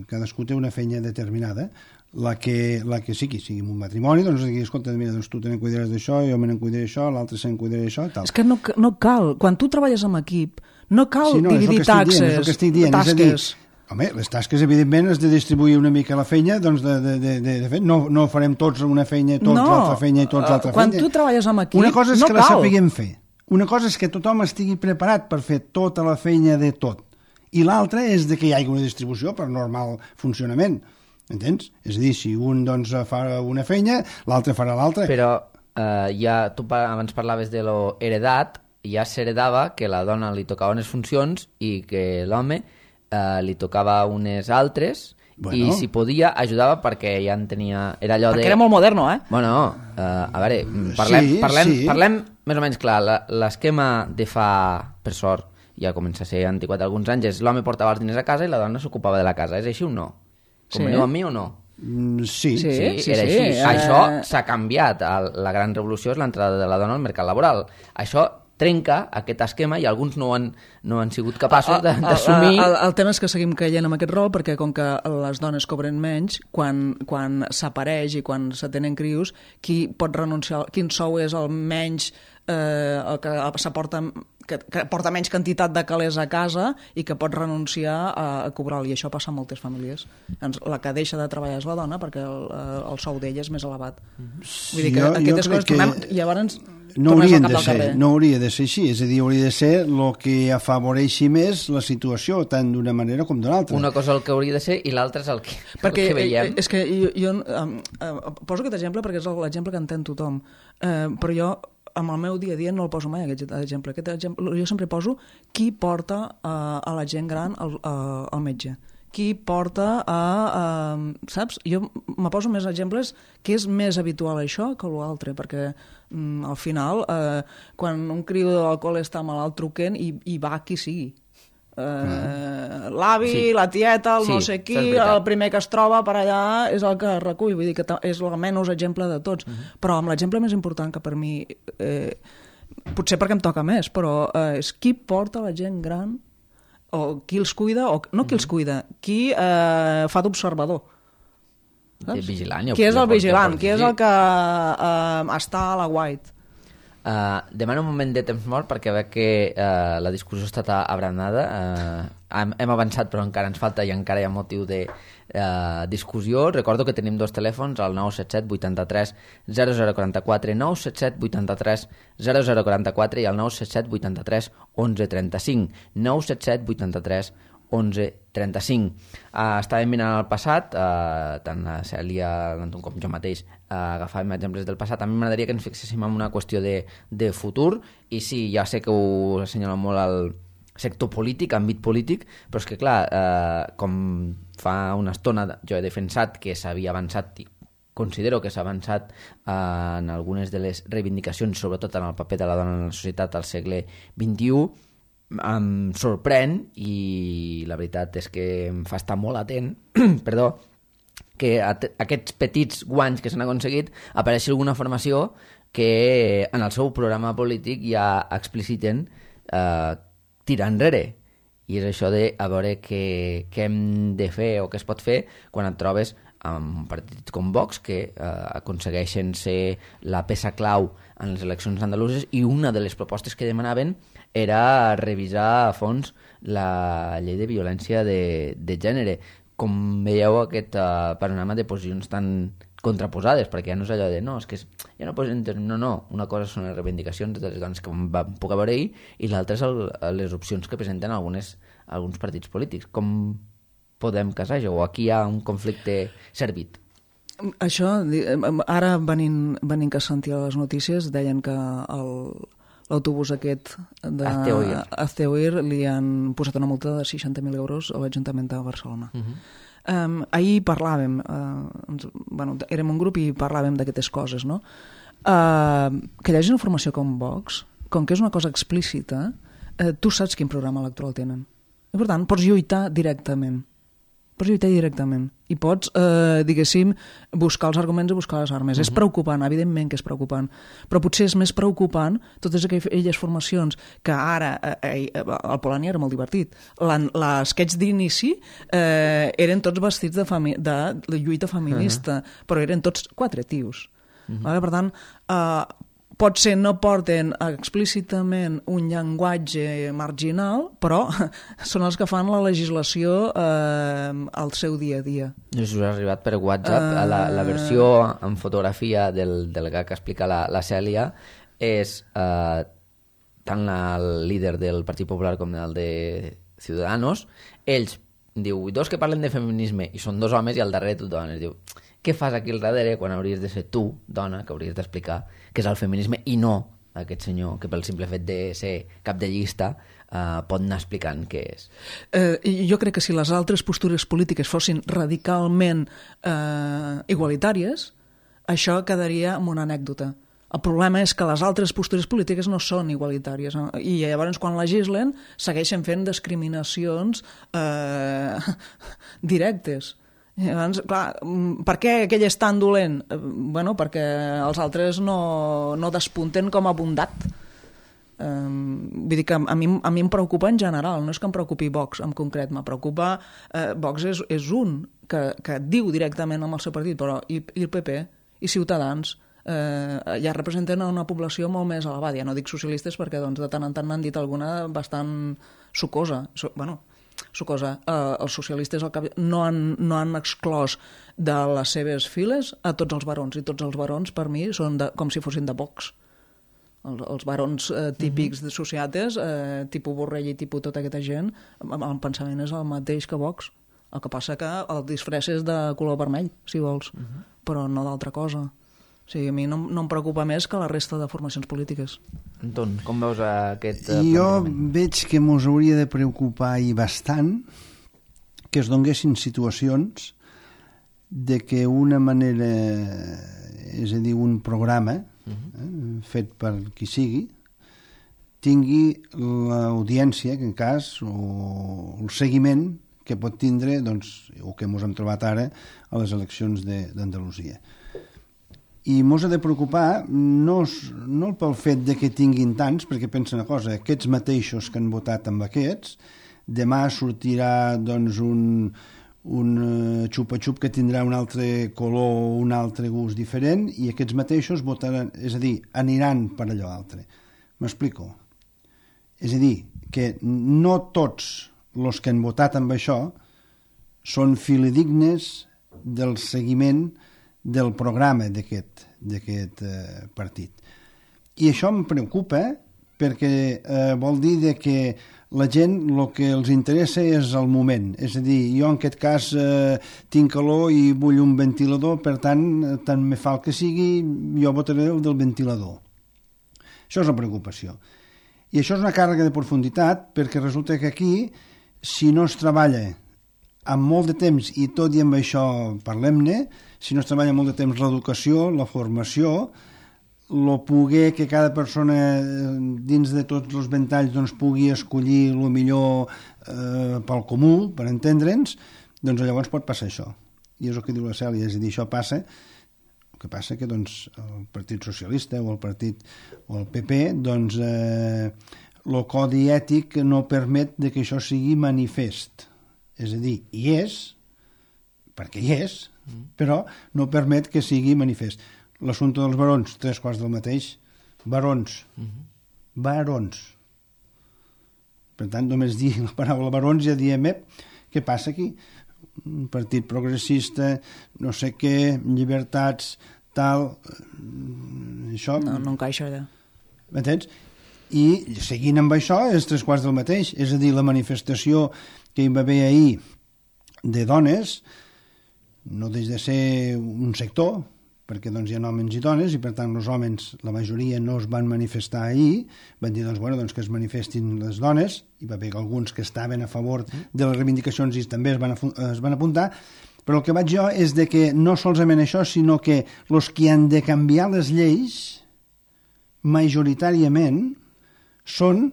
cadascú té una fenya determinada, la que, la que sigui, sigui un matrimoni, doncs, escolta, mira, doncs tu te n'encuidaràs d'això, jo me n'encuidaré d'això, l'altre se'n cuidarà d'això, tal. És que no, no cal, quan tu treballes amb equip, no cal sí, no, dividir taxes, dient, és el que estic dient, tasques. És a dir, home, les tasques, evidentment, has de distribuir una mica la feina, doncs, de, de, de, de, de fet, no, no farem tots una feina, tots no, l'altra feina i tots l'altra quan feina. Quan tu treballes amb equip, una cosa és no que cal. La sapiguem fer. Una cosa és que tothom estigui preparat per fer tota la feina de tot. I l'altra és de que hi hagi una distribució per normal funcionament. Entens? És a dir, si un doncs, fa una feina, l'altre farà l'altra. Però eh, ja tu abans parlaves de lo heredat, ja s'heredava que la dona li tocava unes funcions i que l'home eh, li tocava unes altres. Bueno. I si podia, ajudava perquè ja en tenia... Era allò perquè de... era molt moderno, eh? Bueno, uh, a veure, parlem, sí, parlem, sí. parlem més o menys clar. L'esquema de fa, per sort, ja comença a ser antiquat alguns anys, és l'home portava els diners a casa i la dona s'ocupava de la casa. És així o no? Com sí. Veniu amb mi o no? Mm, sí. Sí, sí, sí, era sí, així. sí. Això s'ha canviat. La gran revolució és l'entrada de la dona al mercat laboral. Això trenca aquest esquema i alguns no han, no han sigut capaços d'assumir... El, el, el tema és que seguim caient en aquest rol perquè com que les dones cobren menys, quan, quan s'apareix i quan se tenen crios, qui pot renunciar, quin sou és el menys eh, que s'aporta que, que porta menys quantitat de calés a casa i que pot renunciar a, a cobrar-li, i això passa a moltes famílies. Doncs la que deixa de treballar és la dona perquè el, el sou d'ella és més elevat. Sí, Vull dir que jo, aquestes jo coses que tornem, i llavors no haurien de ser, no hauria de ser així, és a dir, hauria de ser el que afavoreixi més la situació, tant d'una manera com d'una altra. Una cosa el que hauria de ser i l'altra és el que, perquè, el que veiem. És que jo, jo um, uh, poso aquest exemple perquè és l'exemple que entén tothom, uh, però jo amb el meu dia a dia no el poso mai, aquest exemple. Aquest exemple jo sempre poso qui porta uh, a la gent gran al, uh, al metge, qui porta a... a saps? Jo me poso més exemples que és més habitual això que l'altre, perquè mm, al final, eh, quan un criu d'alcohol està malalt, truquen i, i va qui sigui. Eh, mm. L'avi, sí. la tieta, el sí, no sé qui, el primer que es troba per allà és el que recull, vull dir que és el menys exemple de tots. Mm-hmm. Però amb l'exemple més important que per mi, eh, potser perquè em toca més, però eh, és qui porta la gent gran o qui els cuida, o no qui els cuida, qui eh, fa d'observador. El vigilant. Qui és el vigilant, qui és el que eh, està a la white. Uh, demano un moment de temps mort perquè veig que uh, la discussió està abranada. Uh, hem, hem avançat però encara ens falta i encara hi ha motiu de uh, discussió. Recordo que tenim dos telèfons, el nou set set vuitanta-tres zero zero quaranta-quatre, nou set set vuitanta-tres zero zero quaranta-quatre i el nou set set vuitanta-tres onze trenta-cinc, nou set set vuitanta-tres onze trenta-cinc. Uh, estàvem mirant el passat, uh, tant la Cèlia l'Anton com jo mateix uh, agafàvem exemples del passat. A mi m'agradaria que ens fixéssim en una qüestió de, de futur, i sí, ja sé que ho assenyala molt al sector polític, àmbit polític, però és que clar, uh, com fa una estona jo he defensat que s'havia avançat i considero que s'ha avançat uh, en algunes de les reivindicacions, sobretot en el paper de la dona en la societat al segle vint-i-u, em sorprèn, i la veritat és que em fa estar molt atent perdó, que aquests petits guanys que s'han aconseguit apareixi alguna formació que en el seu programa polític ja expliciten eh, tirar enrere, i és això de a veure què, què hem de fer o què es pot fer quan et trobes amb un partit com Vox que eh, aconsegueixen ser la peça clau en les eleccions andaluses, i una de les propostes que demanaven era revisar a fons la llei de violència de, de gènere. Com veieu aquest uh, panorama de posicions tan contraposades, perquè ja no és allò de no, és que és, ja no, no, no, una cosa són les reivindicacions de les dones que vam poder veure ahir i l'altra és el, les opcions que presenten algunes, alguns partits polítics. Com podem casar això? O aquí hi ha un conflicte servit? Això, ara venint, venint que sentia les notícies, deien que el l'autobús aquest d'Azteoir li han posat una multa de seixanta mil euros a l'Ajuntament de Barcelona. Uh-huh. um, ahir parlàvem, uh, ens, bueno, érem un grup i parlàvem d'aquestes coses, no? Uh, que hi hagi una formació com Vox, com que és una cosa explícita, uh, tu saps quin programa electoral tenen. I per tant, pots lluitar directament. Pots lluitar directament. I pots, eh, diguéssim, buscar els arguments i buscar les armes. Uh-huh. És preocupant, evidentment que és preocupant, però potser és més preocupant totes aquelles formacions que ara, eh, eh, el Polònia era molt divertit, l'esquetx d'inici eh, eren tots vestits de, fami de, de lluita feminista, uh-huh. però eren tots quatre tios. Uh-huh. Vale? Per tant, eh, potser no porten explícitament un llenguatge marginal, però són els que fan la legislació eh, al seu dia a dia. Us ha arribat per WhatsApp, uh... la, la versió en fotografia del, del gag que explica la, la Cèlia és eh, tant el líder del Partit Popular com el de Ciudadanos. Ells diu, dos que parlen de feminisme i són dos homes i al darrere tu dones. Diu, què fas aquí al darrere quan hauries de ser tu, dona, que hauries d'explicar què és el feminisme i no aquest senyor que pel simple fet de ser cap de llista eh, pot anar explicant què és. Eh, jo crec que si les altres postures polítiques fossin radicalment eh, igualitàries, això quedaria en una anècdota. El problema és que les altres postures polítiques no són igualitàries i llavors quan legislen segueixen fent discriminacions eh, directes. Llavors, clar, per què aquell és tan dolent? Bueno, perquè els altres no, no despunten com a bondat. Um, vull dir que a mi, a mi em preocupa en general, no és que em preocupi Vox en concret, me preocupa eh, Vox és, és un que, que diu directament amb el seu partit, però i, i el P P i Ciutadans eh, ja representen una població molt més elevada. Ja no dic socialistes perquè doncs, de tant en tant n'han dit alguna bastant sucosa. So, bueno, sucosa. Eh, els socialistes al cap... no, han, no han exclòs de les seves files a tots els barons, i tots els barons per mi són de, com si fossin de Vox. Els, els barons eh, típics de sociates, eh, tipus Borrell i tipus tota aquesta gent, el pensament és el mateix que Vox. El que passa que el disfress és de color vermell, si vols, uh -huh. però no d'altra cosa. O sigui, a mi no, no em preocupa més que la resta de formacions polítiques. Anton, com veus aquest... Uh, jo veig que mos hauria de preocupar i bastant que es donguessin situacions de que una manera, és a dir, un programa uh-huh. eh, fet per qui sigui, tingui l'audiència, que en cas, o el seguiment que pot tindre, doncs, o que ens hem trobat ara a les eleccions d'Andalusia. I mos ha de preocupar no, no pel fet de que tinguin tants, perquè pensa una cosa, aquests mateixos que han votat amb aquests, demà sortirà doncs, un, un xupa-xup que tindrà un altre color, un altre gust diferent, i aquests mateixos votaran, és a dir, aniran per allò altre. M'explico? És a dir, que no tots els que han votat amb això són fidedignes del seguiment del programa d'aquest d'aquest eh, partit. I això em preocupa perquè eh, vol dir de que la gent el que els interessa és el moment. És a dir, jo en aquest cas eh, tinc calor i vull un ventilador, per tant, tant me fa el que sigui, jo votaré el del ventilador. Això és una preocupació. I això és una càrrega de profunditat perquè resulta que aquí, si no es treballa amb molt de temps, i tot i amb això parlem-ne, si no es treballa molt de temps l'educació, la formació, el poder que cada persona dins de tots els ventalls doncs, pugui escollir el millor eh, pel comú, per entendre'ns, doncs llavors pot passar això. I és el que diu la Cèlia, és a dir, això passa, el que passa que doncs, el Partit Socialista o el Partit o el P P, doncs eh, el codi ètic no permet de que això sigui manifest. És a dir, hi és, perquè hi és, però no permet que sigui manifest. L'assumpte dels barons, tres quarts del mateix, barons, barons. Per tant, només dir la paraula barons ja diem, ep, què passa aquí? Un partit progressista, no sé què, llibertats, tal, això... No, no encaixa allà. M'entens? I seguint amb això és tres quarts del mateix, és a dir, la manifestació que hi va haver ahir de dones no deixa de ser un sector, perquè doncs, hi ha homes i dones, i per tant els homes, la majoria no es van manifestar ahir, van dir doncs, bueno, doncs, que es manifestin les dones, i va haver alguns que estaven a favor de les reivindicacions i també es van, es van apuntar, però el que vaig jo és de que no solament això, sinó que els que han de canviar les lleis majoritàriament són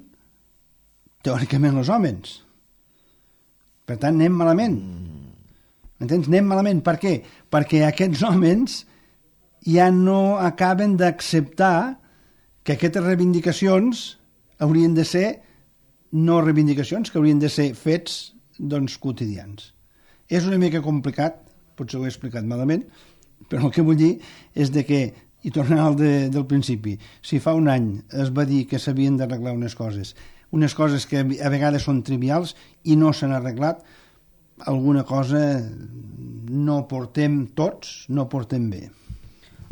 teòricament els homes. Per tant, anem malament. Entens? Anem malament. Per què? Perquè aquests homes ja no acaben d'acceptar que aquestes reivindicacions haurien de ser no reivindicacions, que haurien de ser fets doncs, quotidians. És una mica complicat, potser ho he explicat malament, però el que vull dir és de que, i tornant al de, del principi, si fa un any es va dir que s'havien d'arreglar unes coses, unes coses que a vegades són trivials i no s'han arreglat, alguna cosa no portem tots, no portem bé.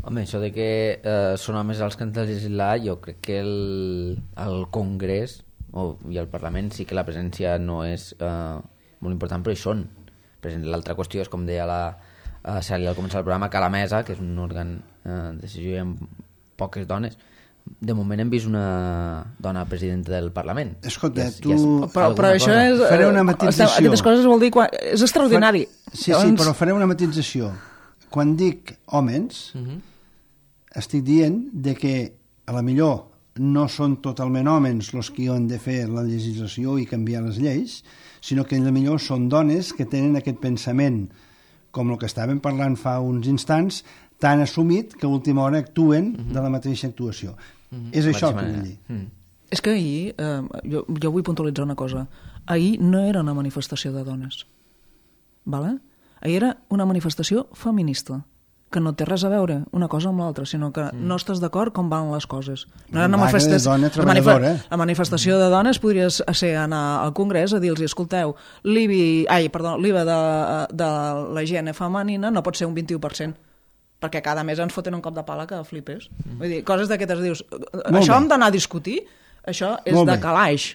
Home, això de que eh, són homes els que han de legislar, jo crec que el, el Congrés o, i el Parlament sí que la presència no és eh, molt important, però hi són. L'altra qüestió és, com deia la uh, Cèlia al començar el programa, que a la mesa, que és un òrgan eh, de decisió amb poques dones, de moment hem vist una dona presidenta del Parlament. Escolta, és, tu... és però, però això cosa. és... Faré una matització. Aquestes coses vol dir... Quan... És extraordinari. Fa... Sí, Llavors... sí, però faré una matització. Quan dic homes, uh -huh. estic dient de que a la millor no són totalment homes els que han de fer la legislació i canviar les lleis, sinó que a la millor són dones que tenen aquest pensament, com el que estàvem parlant fa uns instants, tan assumit que a última hora actuen uh -huh. de la mateixa actuació. Uh -huh. És això que vull dir. Uh -huh. És que ahir, eh, jo, jo vull puntualitzar una cosa, ahir no era una manifestació de dones, vale? Ahir era una manifestació feminista, que no té res a veure una cosa amb l'altra, sinó que mm. no estàs d'acord com van les coses. No, una manifesta... de dona treballadora. La manifestació de dones podria ser anar al Congrés a dir-los, escolteu, l'I B I, ai, perdó, l'I V A de, de la higiene femenina no pot ser un vint-i-u per cent, perquè cada mes ens foten un cop de pala que flipes. Mm. Vull dir, coses d'aquestes dius, Molt això bé. hem d'anar a discutir, això és Molt de bé. calaix.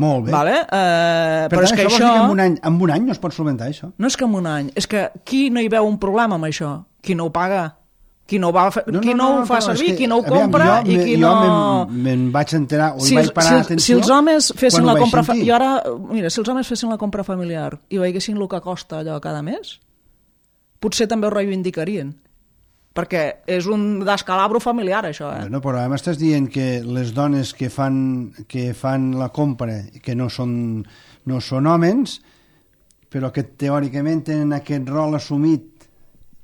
Molt bé. Vale? Uh, per però tant, és que això, això... que en un, any, en un any no es pot solventar, això. No és que en un any, és que qui no hi veu un problema amb això? Qui no ho paga? Qui no, va, no, qui no, no, no ho fa servir? Que, qui no ho compra? Aviam, jo, i qui jo no... me'n vaig enterar, o si, hi vaig parar si, atenció... Si els homes fessin la compra... Fa... I ara, mira, si els homes fessin la compra familiar i veiessin el que costa allò cada mes, potser també ho reivindicarien. Perquè és un descalabro familiar, això, eh? No, però m'estàs dient que les dones que fan, que fan la compra, que no són, no són homes, però que teòricament tenen aquest rol assumit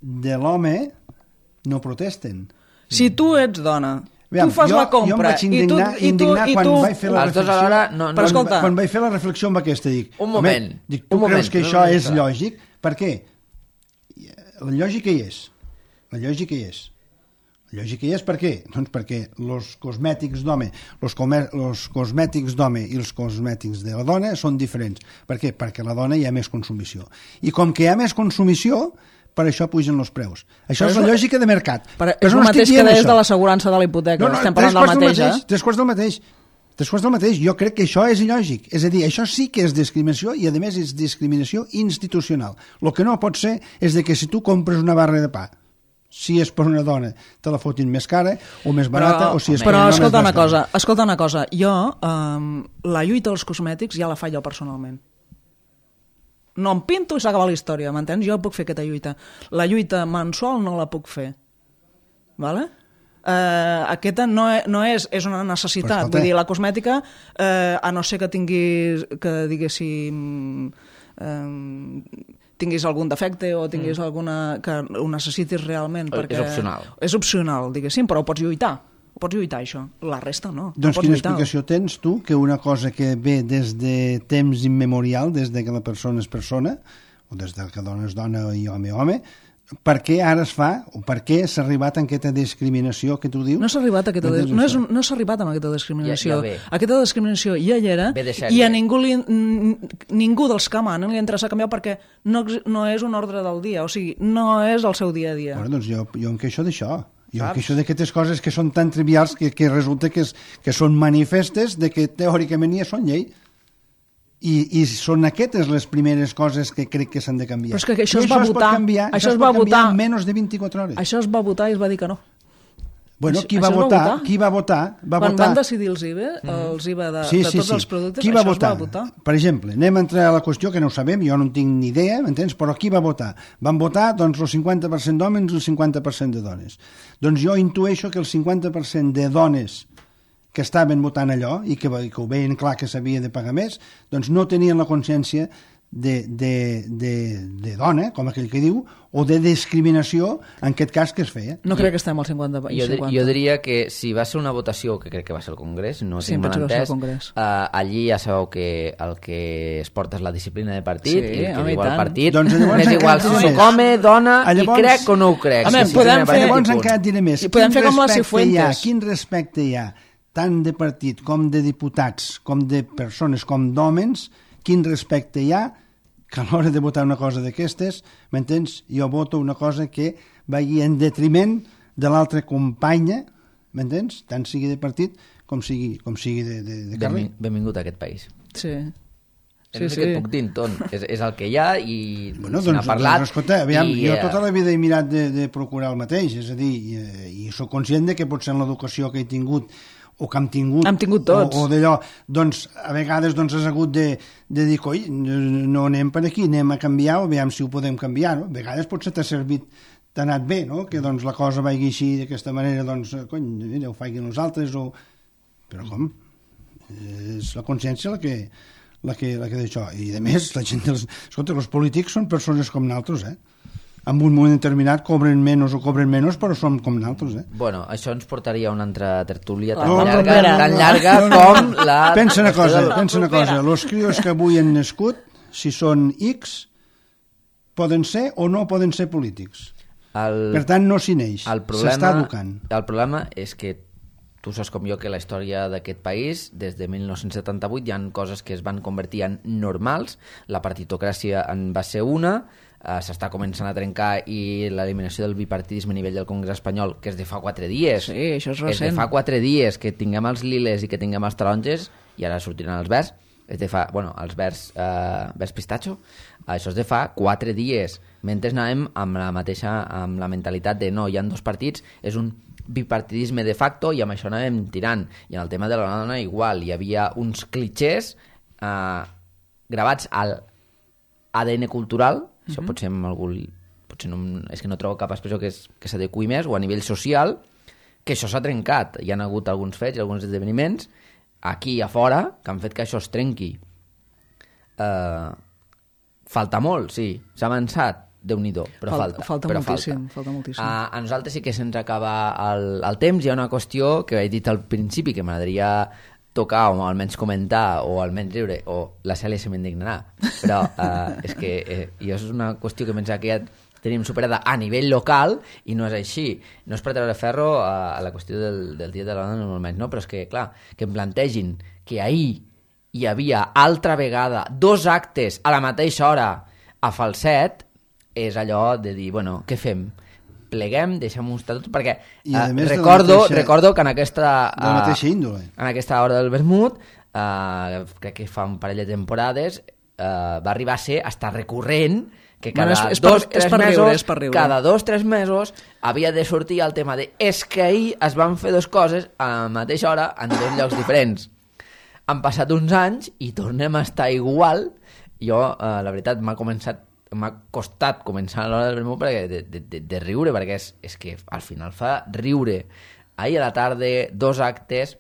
de l'home, no protesten. Si tu ets dona, Aviam, tu fas jo, la compra... Jo em vaig indignar, i tu, i tu, indignar i quan tu... vaig fer la Els dos reflexió... alhora, no, no, quan, escolta. quan vaig fer la reflexió amb aquesta, dic... Un moment, dic, tu un creus moment, que no, això no, és no. lògic? Per què? La lògica hi és. La lògica hi és. La lògica hi és per què? Doncs perquè els cosmètics d'home, els cosmètics d'home i els cosmètics de la dona són diferents. Per què? Perquè a la dona hi ha més consumició. I com que hi ha més consumició, per això pugen els preus. Això però és la lògica de mercat. Per, és el no mateix que deies això. de l'assegurança de la hipoteca. No, no, estem parlant del mateix, mateix, eh? Tres quarts del mateix. Tres quarts del mateix. Jo crec que això és il·lògic. És a dir, això sí que és discriminació i, a més, és discriminació institucional. El que no pot ser és de que si tu compres una barra de pa, si és per una dona, te la fotin més cara o més barata, però, o si és però per un home... escolta una més cosa, escolta una cosa. Jo, um, la lluita dels cosmètics ja la faig jo personalment. No em pinto i s'acaba la història, m'entens? Jo puc fer aquesta lluita. La lluita mensual no la puc fer. Vale? Uh, aquesta no, és, no és, és una necessitat. Vull dir, la cosmètica, uh, a no ser que tinguis, que diguéssim, um, tinguis algun defecte o tinguis mm. alguna... que ho necessitis realment. Perquè és opcional. És opcional, diguéssim, però ho pots lluitar. Ho pots lluitar, això. La resta no. Doncs no quina lluitar. explicació tens tu que una cosa que ve des de temps immemorial, des de que la persona és persona, o des de que dona és dona i home home, per què ara es fa, o per què s'ha arribat a aquesta discriminació que tu dius? No s'ha arribat a aquesta, no no és, no s'ha arribat a aquesta discriminació. Ja, ja aquesta discriminació ja hi era i a ningú, li, ningú dels que manen li interessa canviar perquè no, no és un ordre del dia, o sigui, no és el seu dia a dia. Bueno, doncs jo, jo em queixo d'això. Jo em queixo d'aquestes coses que són tan trivials que, que resulta que, és, que són manifestes de que teòricament ja són llei. I, i són aquestes les primeres coses que crec que s'han de canviar. Però és que això I es va això votar. Es pot canviar, això, això es, es pot va canviar votar en menys de vint-i-quatre hores. Això es va votar i es va dir que no. Bueno, qui això, va, votar, va votar? qui va votar? Va Quan votar... van decidir els I V A, els I V A de, sí, de sí, tots sí. els productes, qui va això votar? es va votar. Per exemple, anem a entrar a la qüestió que no ho sabem, jo no en tinc ni idea, m'entens? Però qui va votar? Van votar doncs, el cinquanta per cent d'homes i el cinquanta per cent de dones. Doncs jo intueixo que el cinquanta per cent de dones que estaven votant allò i que, que ho veien clar que s'havia de pagar més, doncs no tenien la consciència de, de, de, de dona, com aquell que diu, o de discriminació, en aquest cas que es feia. No crec que estem al cinquanta per cent. Jo, jo diria que si va ser una votació, que crec que va ser el Congrés, no sí, tinc mal entès, uh, allí ja sabeu que el que es porta és la disciplina de partit, sí, i el que home, diu el partit, doncs m'és igual si soc home, dona, llavors, i crec o no ho crec. Home, si podem fer... Llavors encara et diré més. I podem fer com la Cifuentes. Quin respecte hi ha, tant de partit com de diputats, com de persones, com d'hòmens, quin respecte hi ha que a l'hora de votar una cosa d'aquestes, m'entens? Jo voto una cosa que vagi en detriment de l'altra companya, m'entens? Tant sigui de partit com sigui, com sigui de, de, de carrer. Benvingut a aquest país. Sí. Sí, sí. Que et puc dir, Ton. És, és el que hi ha i bueno, se n'ha doncs, parlat. Doncs, escolta, aviam, i, jo tota la vida he mirat de, de procurar el mateix, és a dir, i, i soc conscient de que potser en l'educació que he tingut o que hem tingut, hem tingut tots. o, o d'allò, doncs a vegades doncs, has hagut de, de dir, coi, no anem per aquí, anem a canviar, o veiem si ho podem canviar, no? A vegades potser t'ha servit, t'ha anat bé, no? Que doncs la cosa vagi així d'aquesta manera, doncs, cony, mira, ho facin els altres, o... Però com? És la consciència la que, la que, la que d'això. I a més, la gent dels... Escolta, els polítics són persones com nosaltres, eh? En un moment determinat cobren menys o cobren menys, però som com nosaltres, eh? Bueno, això ens portaria a una altra tertúlia tan no, llarga, no, tan llarga no, no, com la... Pensa una cosa, pensa una cosa. Els crios que avui han nascut, si són X, poden ser o no poden ser polítics. El, per tant, no s'hi neix, s'està educant. El problema és que tu saps com jo que la història d'aquest país, des de mil nou-cents setanta-vuit, hi ha coses que es van convertir en normals, la partitocràcia en va ser una, eh, s'està començant a trencar, i l'eliminació del bipartidisme a nivell del Congrés espanyol, que és de fa quatre dies. Sí, això és recent. És de fa quatre dies que tinguem els liles i que tinguem els taronges, i ara sortiran els verds, és de fa, bueno, els verds, eh, verds pistatxo, això és de fa quatre dies. Mentre anàvem amb la mateixa, amb la mentalitat de no, hi ha dos partits, és un bipartidisme de facto, i amb això anàvem tirant. I en el tema de la dona igual, hi havia uns clichés eh, gravats al A D N cultural, això mm -hmm. potser amb algú, potser no, és que no trobo cap expressió que, és, que s'adequi més, o a nivell social, que això s'ha trencat. Hi ha hagut alguns fets i alguns esdeveniments aquí i a fora que han fet que això es trenqui. Eh, falta molt, sí, s'ha avançat, Déu-n'hi-do, però falta. Falta, falta però moltíssim, falta. falta moltíssim. A, a nosaltres sí que se'ns acaba el, el temps. Hi ha una qüestió que he dit al principi que m'agradaria tocar o almenys comentar o almenys riure, o la Cèlia se m'indignarà, però eh, és que eh, jo és una qüestió que pensava que ja tenim superada a nivell local i no és així. No és per treure ferro a, a la qüestió del, del Dia de la Dona normalment, no? Però és que, clar, que em plantegin que ahir hi havia altra vegada dos actes a la mateixa hora a Falset, és allò de dir, bueno, què fem? Pleguem, deixem-ho estar tot, perquè eh, recordo, mateixa, recordo que en aquesta, de la mateixa índole. En aquesta hora del vermut, eh, crec que fa un parell de temporades, eh, va arribar a ser hasta recurrent que cada bueno, és, és dos, per, tres és per mesos, riure, és per riure. cada dos, tres mesos havia de sortir el tema de és que ahir es van fer dues coses a la mateixa hora en dos llocs diferents. Han passat uns anys i tornem a estar igual. Jo, eh, la veritat, m'ha començat m'ha costat començar a l'hora del vermut perquè de, de, de, de riure, perquè és, és que al final fa riure. Ahir a la tarda, dos actes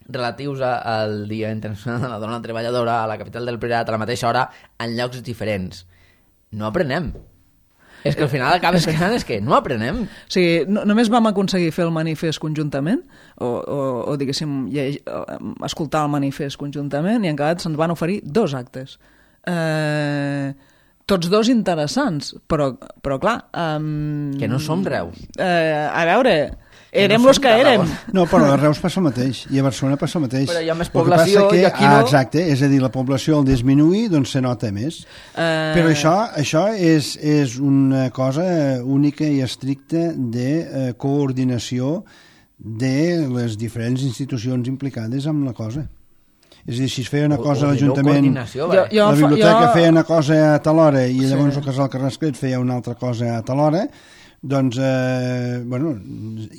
relatius al Dia Internacional de la Dona Treballadora a la capital del Priorat a la mateixa hora en llocs diferents. No aprenem. És que al final acabes pensant és que no aprenem. O sigui, no, només vam aconseguir fer el manifest conjuntament, o, o, o diguéssim, lle, escoltar el manifest conjuntament, i en acabat se'ns van oferir dos actes. Eh... Tots dos interessants, però, però clar... Um, que no som Reus. Uh, a veure, érem no los que érem. No, però a Reus passa el mateix, i a Barcelona passa el mateix. Però hi ha més població que, i aquí ah, no... Exacte, és a dir, la població al disminuir doncs se nota més. Uh... Però això, això és, és una cosa única i estricta de eh, coordinació de les diferents institucions implicades amb la cosa. És a dir, si es feia una cosa a l'Ajuntament, la biblioteca jo... feia una cosa a tal hora i llavors sí. el Casal Carrasclet feia una altra cosa a tal hora, doncs, eh, bueno,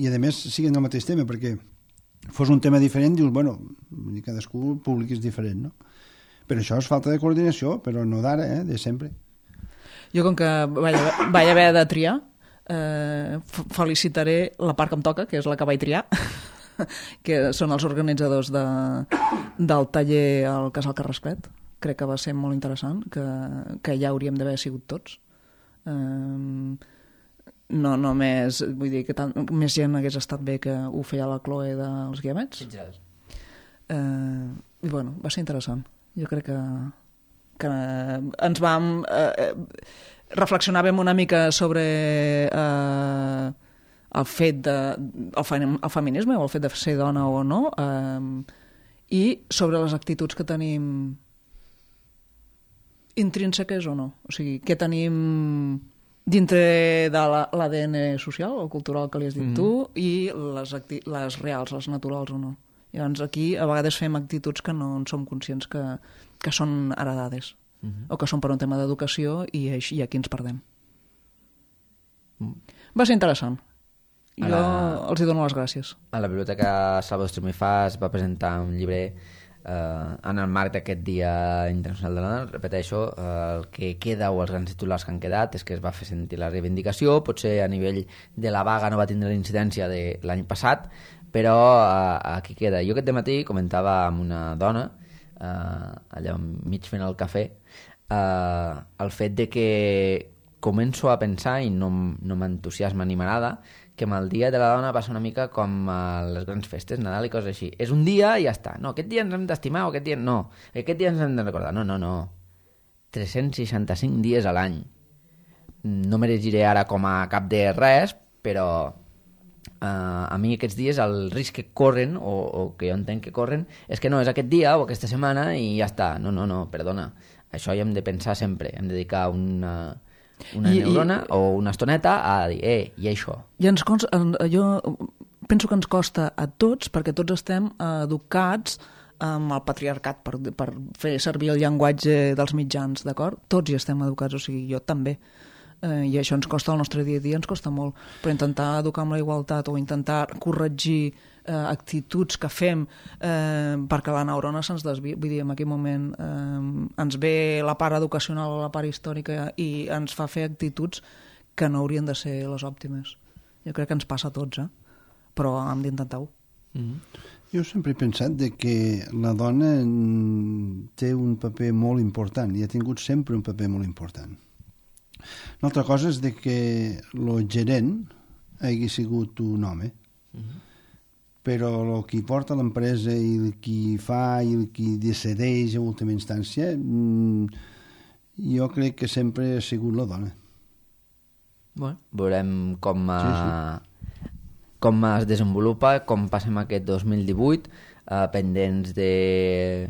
i a més siguen el mateix tema, perquè fos un tema diferent, dius, bueno, cadascú públic és diferent, no? Però això és falta de coordinació, però no d'ara, eh, de sempre. Jo, com que vaig, vaig haver de triar, eh, felicitaré la part que em toca, que és la que vaig triar, que són els organitzadors de, del taller al Casal Carrasclet. Crec que va ser molt interessant, que, que ja hauríem d'haver sigut tots. Um, no només, vull dir que tant, més gent hagués estat bé que ho feia la Chloe dels Guiamets. Uh, I bueno, va ser interessant. Jo crec que, que ens vam... Uh, reflexionàvem una mica sobre... Uh, el fet de el, el feminisme o el fet de ser dona o no, eh, i sobre les actituds que tenim intrínseques o no, o sigui, què tenim dintre de l'A D N social o cultural que li has dit mm-hmm. tu, i les, acti les reals, les naturals o no. Llavors aquí a vegades fem actituds que no en som conscients que, que són heredades mm-hmm. o que són per un tema d'educació, i, i aquí ens perdem. Mm. Va ser interessant. Jo la... els hi dono les gràcies. A la Biblioteca Salvador Estormifàs va presentar un llibre eh, en el marc d'aquest Dia Internacional de la Dona. Repeteixo, eh, el que queda o els grans titulars que han quedat és que es va fer sentir la reivindicació. Potser a nivell de la vaga no va tindre la incidència de l'any passat, però eh, aquí queda. Jo aquest dematí comentava amb una dona, eh, allà mig fent el cafè, eh, el fet de que començo a pensar, i no, no m'entusiasma ni m'agrada, que amb el Dia de la Dona passa una mica com a les grans festes, Nadal i coses així. És un dia i ja està. No, aquest dia ens hem d'estimar o aquest dia no. Aquest dia ens hem de recordar. No, no, no. tres-cents seixanta-cinc dies a l'any. no m'erigiré ara com a cap de res, però uh, a mi aquests dies el risc que corren, o, o que jo entenc que corren, és que no, és aquest dia o aquesta setmana i ja està. No, no, no, perdona. Això hi hem de pensar sempre. Hem de dedicar una, una I, neurona i... o una estoneta a dir, eh, i això. I ens consta, jo penso que ens costa a tots, perquè tots estem educats amb el patriarcat, per, per fer servir el llenguatge dels mitjans, d'acord? Tots hi estem educats, o sigui, jo també. Eh, I això ens costa, el nostre dia a dia ens costa molt. Però intentar educar amb la igualtat o intentar corregir eh, actituds que fem eh, perquè la neurona se'ns desvia, vull dir, en aquell moment eh, ens ve la part educacional o la part històrica i ens fa fer actituds que no haurien de ser les òptimes. Jo crec que ens passa a tots, eh? Però hem d'intentar-ho. Mm-hmm. Jo sempre he pensat de que la dona té un paper molt important i ha tingut sempre un paper molt important. Una altra cosa és de que el gerent hagi sigut un home, mm-hmm. però el qui porta l'empresa i el qui fa i el qui decideix a última instància, jo crec que sempre ha sigut la dona. Bueno, veurem com... A... Sí, sí. com es desenvolupa, com passem aquest dos mil divuit, eh, pendents de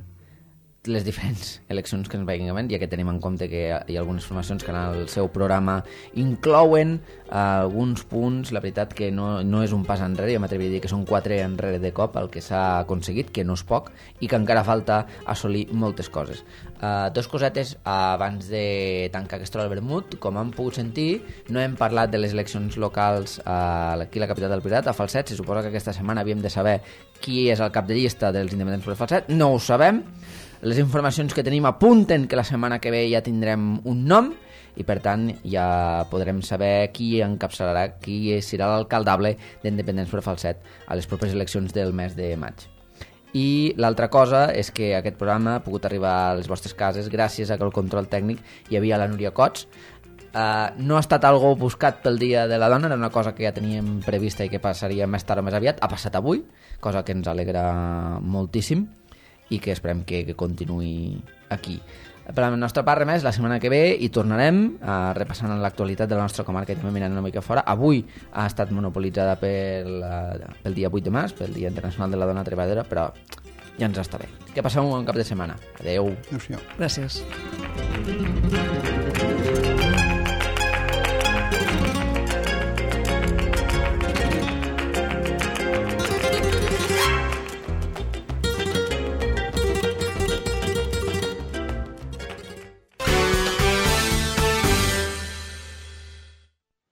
les diferents eleccions que ens vagin havent, ja que tenim en compte que hi ha algunes formacions que en el seu programa inclouen eh, alguns punts, la veritat que no, no és un pas enrere, jo m'atreviria a dir que són quatre enrere de cop el que s'ha aconseguit, que no és poc, i que encara falta assolir moltes coses. Uh, dos cosetes uh, abans de tancar aquesta hora del vermut. Com han pogut sentir, no hem parlat de les eleccions locals uh, aquí a la capital del Priorat, a Falset. Se suposa que aquesta setmana havíem de saber qui és el cap de llista dels independents per Falset. No ho sabem. Les informacions que tenim apunten que la setmana que ve ja tindrem un nom i per tant ja podrem saber qui encapçalarà, qui serà l'alcaldable d'Independents per Falset a les properes eleccions del mes de maig. I l'altra cosa és que aquest programa ha pogut arribar a les vostres cases gràcies a que el control tècnic hi havia la Núria Cots. Uh, no ha estat algo buscat pel Dia de la Dona, era una cosa que ja teníem prevista i que passaria més tard o més aviat. Ha passat avui, cosa que ens alegra moltíssim i que esperem que, que continuï aquí. Per la nostra part, res més, la setmana que ve hi tornarem uh, repassant l'actualitat de la nostra comarca i també mirant una mica fora. Avui ha estat monopolitzada pel, uh, pel dia vuit de març, pel Dia Internacional de la Dona Treballadora, però ja ens està bé. Que passeu un bon cap de setmana. Adeu. Adéu-siau. Gràcies.